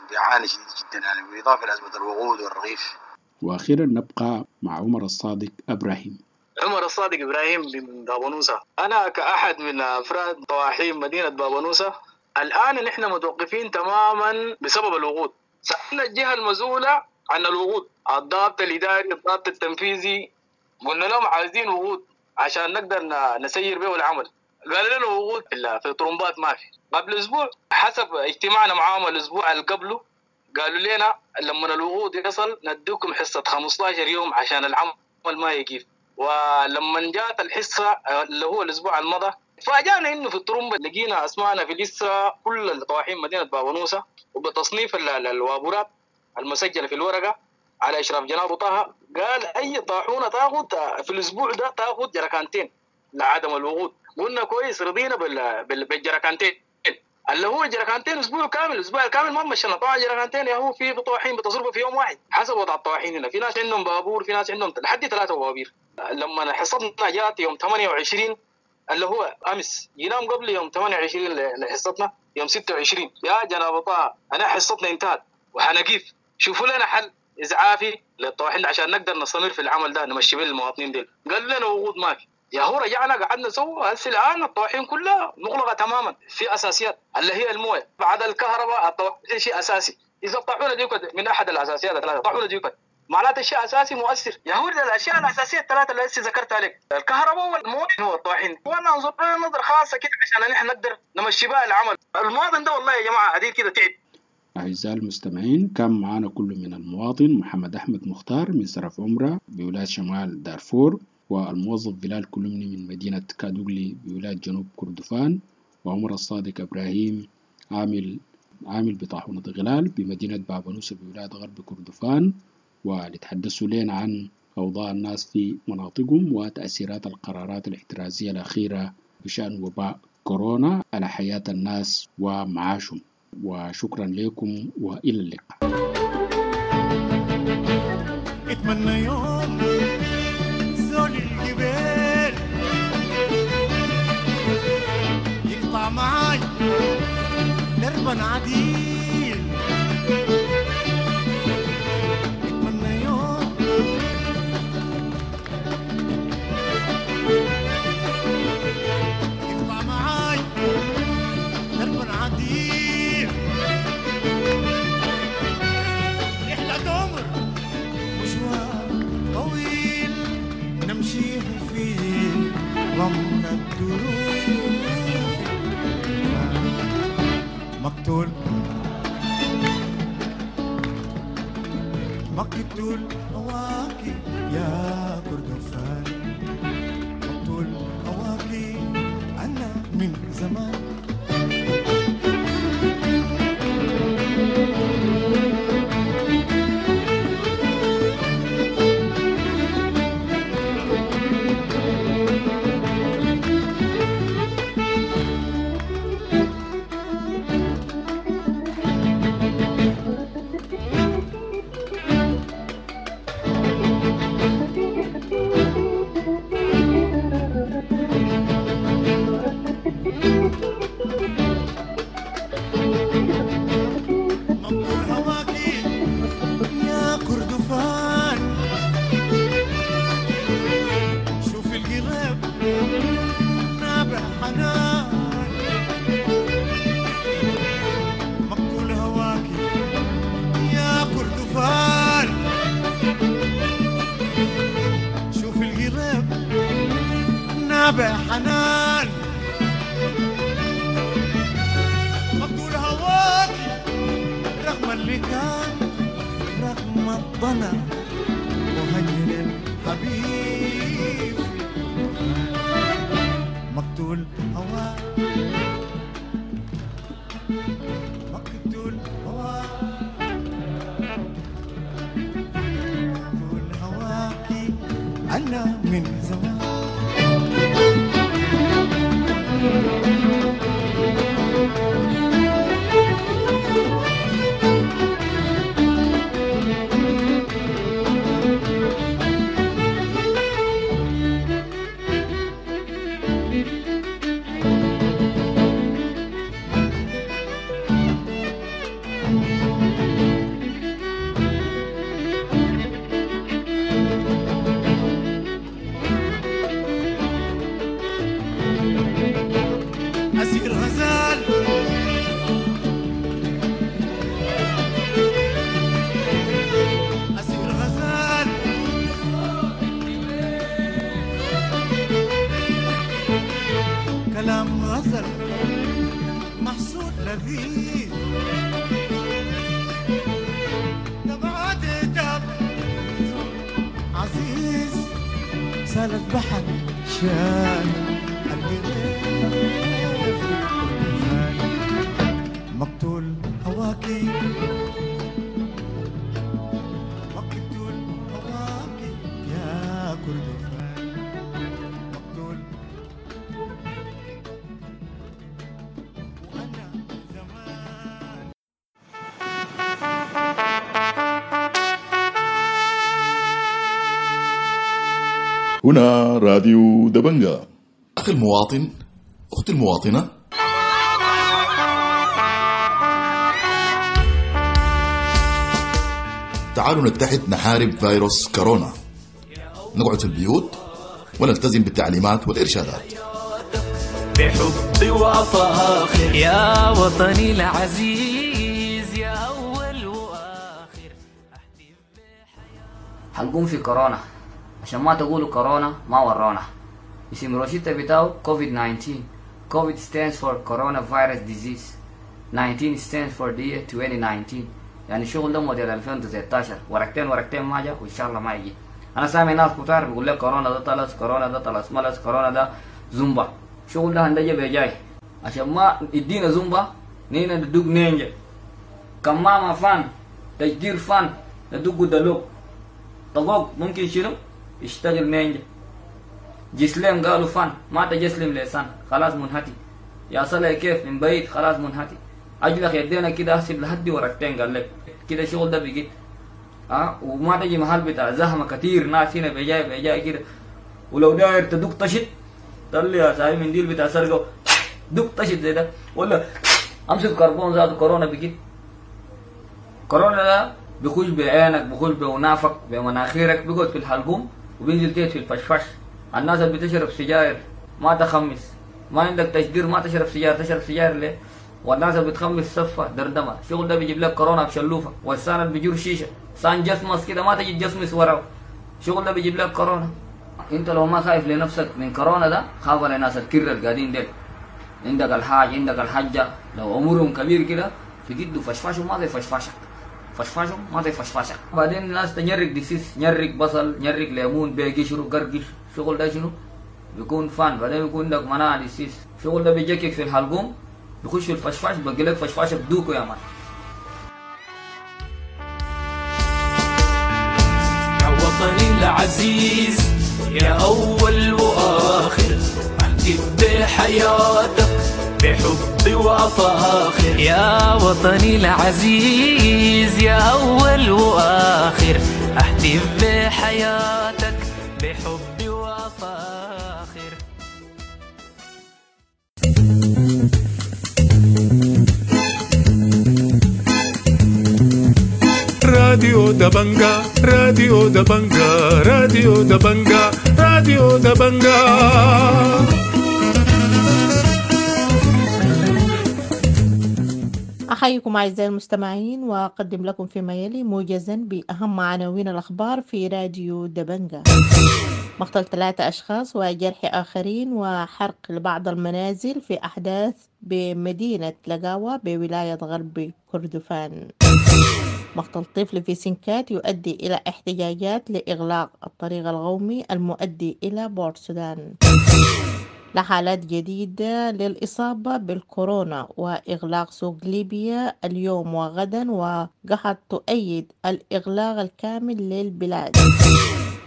بيعاني شديد جدا، يعني بالإضافة لأزمة الوقود والرغيف. وأخيرا نبقى مع عمر الصادق إبراهيم. عمر الصادق إبراهيم من بابنوسة. أنا كأحد من أفراد طواحين مدينة بابنوسة، الآن نحن متوقفين تماما بسبب الوقود. سألنا الجهة المسؤولة عن الوقود، الضابط الإداري، الضابط التنفيذي، قلنا لهم عايزين وقود عشان نقدر نسير به العمل. قال لنا وقود في طرمبات ما في. قبل أسبوع حسب اجتماعنا معاهم الأسبوع اللي قبله، قالوا لنا لما الوقود يصل نديكم حصة خمستاشر يوم عشان العمل ما يقف. ولما جات الحصة اللي هو الأسبوع المضى، فاجأنا إنه في الطرمبة لقينا أسماءنا في لسه كل الطواحين مدينة بابنوسة، وبتصنيف الوابورات المسجلة في الورقة على إشراف جناب طه. قال أي طاحونة تاخذ في الأسبوع ده تاخذ جركانتين لعدم الوقود. قلنا كويس، رضينا بالجركانتين اللي هو جركانتين اسبوع كامل، الاسبوع الكامل ما مشينا. طبعا جركانتين يا هو في طواحين بتصرفوا في يوم واحد حسب وضع الطواحين هنا. في ناس عندهم بابور، في ناس عندهم لحد ثلاثة بوابير. لما حصتنا جات يوم ثمانية وعشرين اللي هو امس، ينام قبل يوم ثمانية وعشرين لحصتنا يوم ستة وعشرين، يا جناب طه انا حصتنا انتهت وحنقيف، شوفوا لنا حل ازعافي للطواحين عشان نقدر نستمر في العمل ده نمشي به المواطنين ديل. قال لنا وقود ما في. يا هو رجعنا قعدنا سوا. هسه الان الطواحين كلها مغلقه تماما. في اساسيات اللي هي المويه بعد الكهرباء، الطواحين شيء اساسي. اذا الطاحونه ديوكت من احد الاساسيات الثلاثه، الطاحونه ديوكت معناته شيء اساسي مؤثر. يا هو الاشياء الاساسيه الثلاثه اللي هسه ذكرتها لك، الكهرباء والمويه والطواحين، وانا انظر لنا نظره خاصه كده عشان نحن نقدر نمشي بها العمل. المواطن ده والله يا جماعه عديد كده تعب. أعزائي المستمعين، كان معنا كل من المواطن محمد أحمد مختار من سرف عمرة بولاية شمال دارفور، والموظف بلال كلمني من مدينة كادوغلي بولاية جنوب كردفان، وعمر الصادق إبراهيم عامل عامل بطاحونة غلال بمدينة بابنوسة بولاية غرب كردفان، ولتحدثوا لنا عن أوضاع الناس في مناطقهم وتأثيرات القرارات الاحترازية الأخيرة بشأن وباء كورونا على حياة الناس ومعاشهم. وشكرا لكم وإلى اللقاء. اتمنى يوم زول الجبال يقطع معاي دربا عديل، اتمنى يوم يقطع معاي دربا عديل، رحلة عمر مشوار طويل نمشيه في رمل الدروب، مقتول مقتول هواكي يا كردفان، مقتول هواكي أنا من زمان. حنان مقتول هواكي رغم اللي كان رغم الضنا وهجر الحبيب. مقتول هواك مقتول هواك مقتول هواكي أنا من زمان. أسير غزال أسير غزال كلام غزل محسود لذيذ دمعات دم عزيز سالت بحر شال القريف والفان. مقتول هواكي مقتول هواكي يا كردفان مقتول وأنا زمان. هنا راديو دبنجا. أخي المواطن، أختي المواطنة، تعالوا نتحد نحارب فيروس كورونا. نقعد في البيوت ونلتزم بالتعليمات والإرشادات. بحب وفاخر يا وطني العزيز يا أول وآخر. حنقوم في كورونا عشان ما تقولوا كورونا ما ورونا. اسم روشيتا بتاعه كوفيد تسعتاشر. كوفيد stands for coronavirus disease، nineteen stands for the year twenty nineteen. يعني الشغل ده موديل ألفين وتسعتاشر، ورقتين ورقتين ما جا وان شاء الله ما يجي. انا سامع ناس كتار بيقول لك كورونا ده طلس، كورونا ده طلس ملس، كورونا ده زومبا. شغل ده هندجة بيجاي عشان ما يدينا زومبا نينا ندق نينجا كمامة فان تجدير فان ندق دلوك طقوق ممكن شنو يشتغل نينجا. جسلم قالوا فان ما تجسلم لسان خلاص منهتي يا صلاة كيف من بعيد خلاص منهتي اجلخ يدينا كده احسب لحد ورقتين قال لك كده الشغل ده بيجي اه وما تجي محل بتاع زحمه كتير ناس هنا بيجاي بيجاي كده. ولو داير تدق طشت طلع يا صاحبي منديل بتاع سرقه دق طشت زي ده ولا امسك كربون زاد كورونا بيجي. كورونا ده بيخش بعينك بيخش بونافك بمناخيرك بيقعد في الحلقوم وبينزل تيت في الفشفش. الناس اللي بتشرب سجاير ما تخمس، ما عندك تشدير ما تشرب سجاير، تشرب سجاير ليه؟ والناس اللي بتخمس صفة دردمة، الشغل ده بيجيب لك كورونا بشلوفة. والسان اللي بيجور شيشة سان جسمس كده ما تجي تجسمس وراه، الشغل ده بيجيب لك كورونا. انت لو ما خايف لنفسك من كورونا ده خاف على ناس الكرة القاعدين ديل. عندك الحاج عندك الحجة لو عمرهم كبير كده في جده فشفشهم ما زي فشفشك، فشفشهم ما زي فشفشك. بعدين الناس تنيرك ديسيس، نيرك بصل، نيرك ليمون، بيقشروا قرقش، الشغل ده شنو؟ بيكون فان. بعدين بيكون عندك مناعة ديسيس، الشغل ده بيجيك في الحلقوم بيخش في الفشفاش بقي لك فشفاشه بدوكو يا مان. يا وطني العزيز يا أول وآخر أهتف بحياتك بحب وفاخر. يا وطني العزيز يا أول وآخر أهتف بحياتك بحب وفاخر. راديو دبنجا، راديو دبنجا، راديو دبنجا، راديو دبنجا. أحييكم أعزائي المستمعين وأقدم لكم فيما يلي موجزا بأهم عناوين الأخبار في راديو دبنجا. مقتل ثلاثة أشخاص وجرح آخرين وحرق لبعض المنازل في أحداث بمدينة لقاوة بولاية غرب كردفان. مقتل طفل في سنكات يؤدي إلى احتجاجات لإغلاق الطريق القومي المؤدي إلى بورتسودان. لحالات جديدة للإصابة بالكورونا، وإغلاق سوق ليبيا اليوم وغدا، وقحط تؤيد الإغلاق الكامل للبلاد.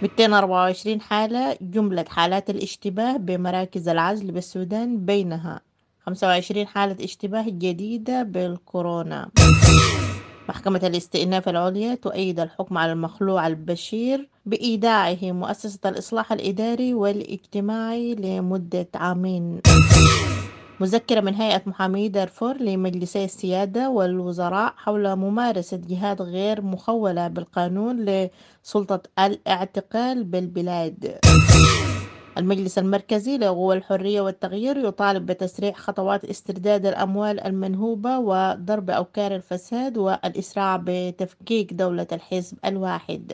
مئتين وأربعة وعشرين حالة جملة حالات الاشتباه بمراكز العزل بالسودان، بينها خمسة وعشرين حالة اشتباه جديدة بالكورونا. محكمة الاستئناف العليا تؤيد الحكم على المخلوع البشير بإيداعه مؤسسة الإصلاح الإداري والاجتماعي لمدة عامين. مذكرة من هيئة محامي دارفور لمجلسي السيادة والوزراء حول ممارسة جهات غير مخولة بالقانون لسلطة الاعتقال بالبلاد. المجلس المركزي لقوى الحرية والتغيير يطالب بتسريع خطوات استرداد الأموال المنهوبة وضرب أوكار الفساد والإسراع بتفكيك دولة الحزب الواحد.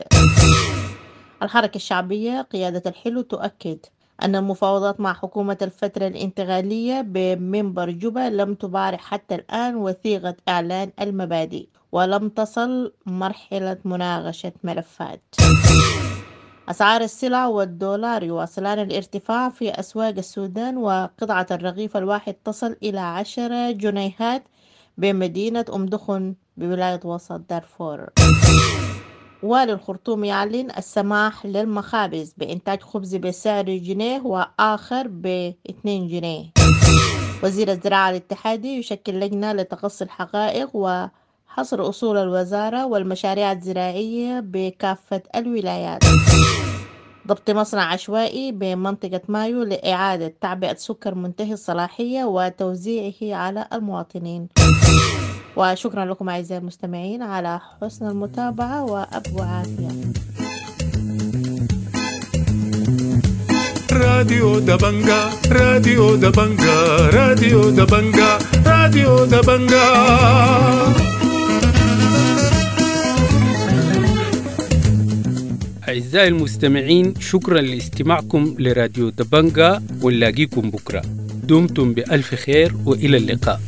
الحركة الشعبية قيادة الحلو تؤكد أن المفاوضات مع حكومة الفترة الانتقالية بمنبر جوبا لم تبارح حتى الآن وثيقة إعلان المبادئ، ولم تصل مرحلة مناقشة ملفات. أسعار السلع والدولار يواصلان الارتفاع في أسواق السودان، وقطعة الرغيف الواحد تصل إلى عشرة جنيهات بمدينة أم دخن بولاية وسط دارفور. والي الخرطوم يعلن السماح للمخابز بإنتاج خبز بسعر جنيه وآخر باثنين جنيه. وزير الزراعة الاتحادي يشكل لجنة لتقصي الحقائق وحصر أصول الوزارة والمشاريع الزراعية بكافة الولايات. ضبط مصنع عشوائي بمنطقة مايو لإعادة تعبئة سكر منتهي الصلاحية وتوزيعه على المواطنين. وشكرا لكم أعزائي المستمعين على حسن المتابعة، وأبو عافية. راديو دبنجا، راديو دبنجا، راديو دبنجا، راديو دبنجا. أعزائي المستمعين، شكرا لاستماعكم لراديو دبنجا، ونلاقيكم بكرة. دمتم بألف خير وإلى اللقاء.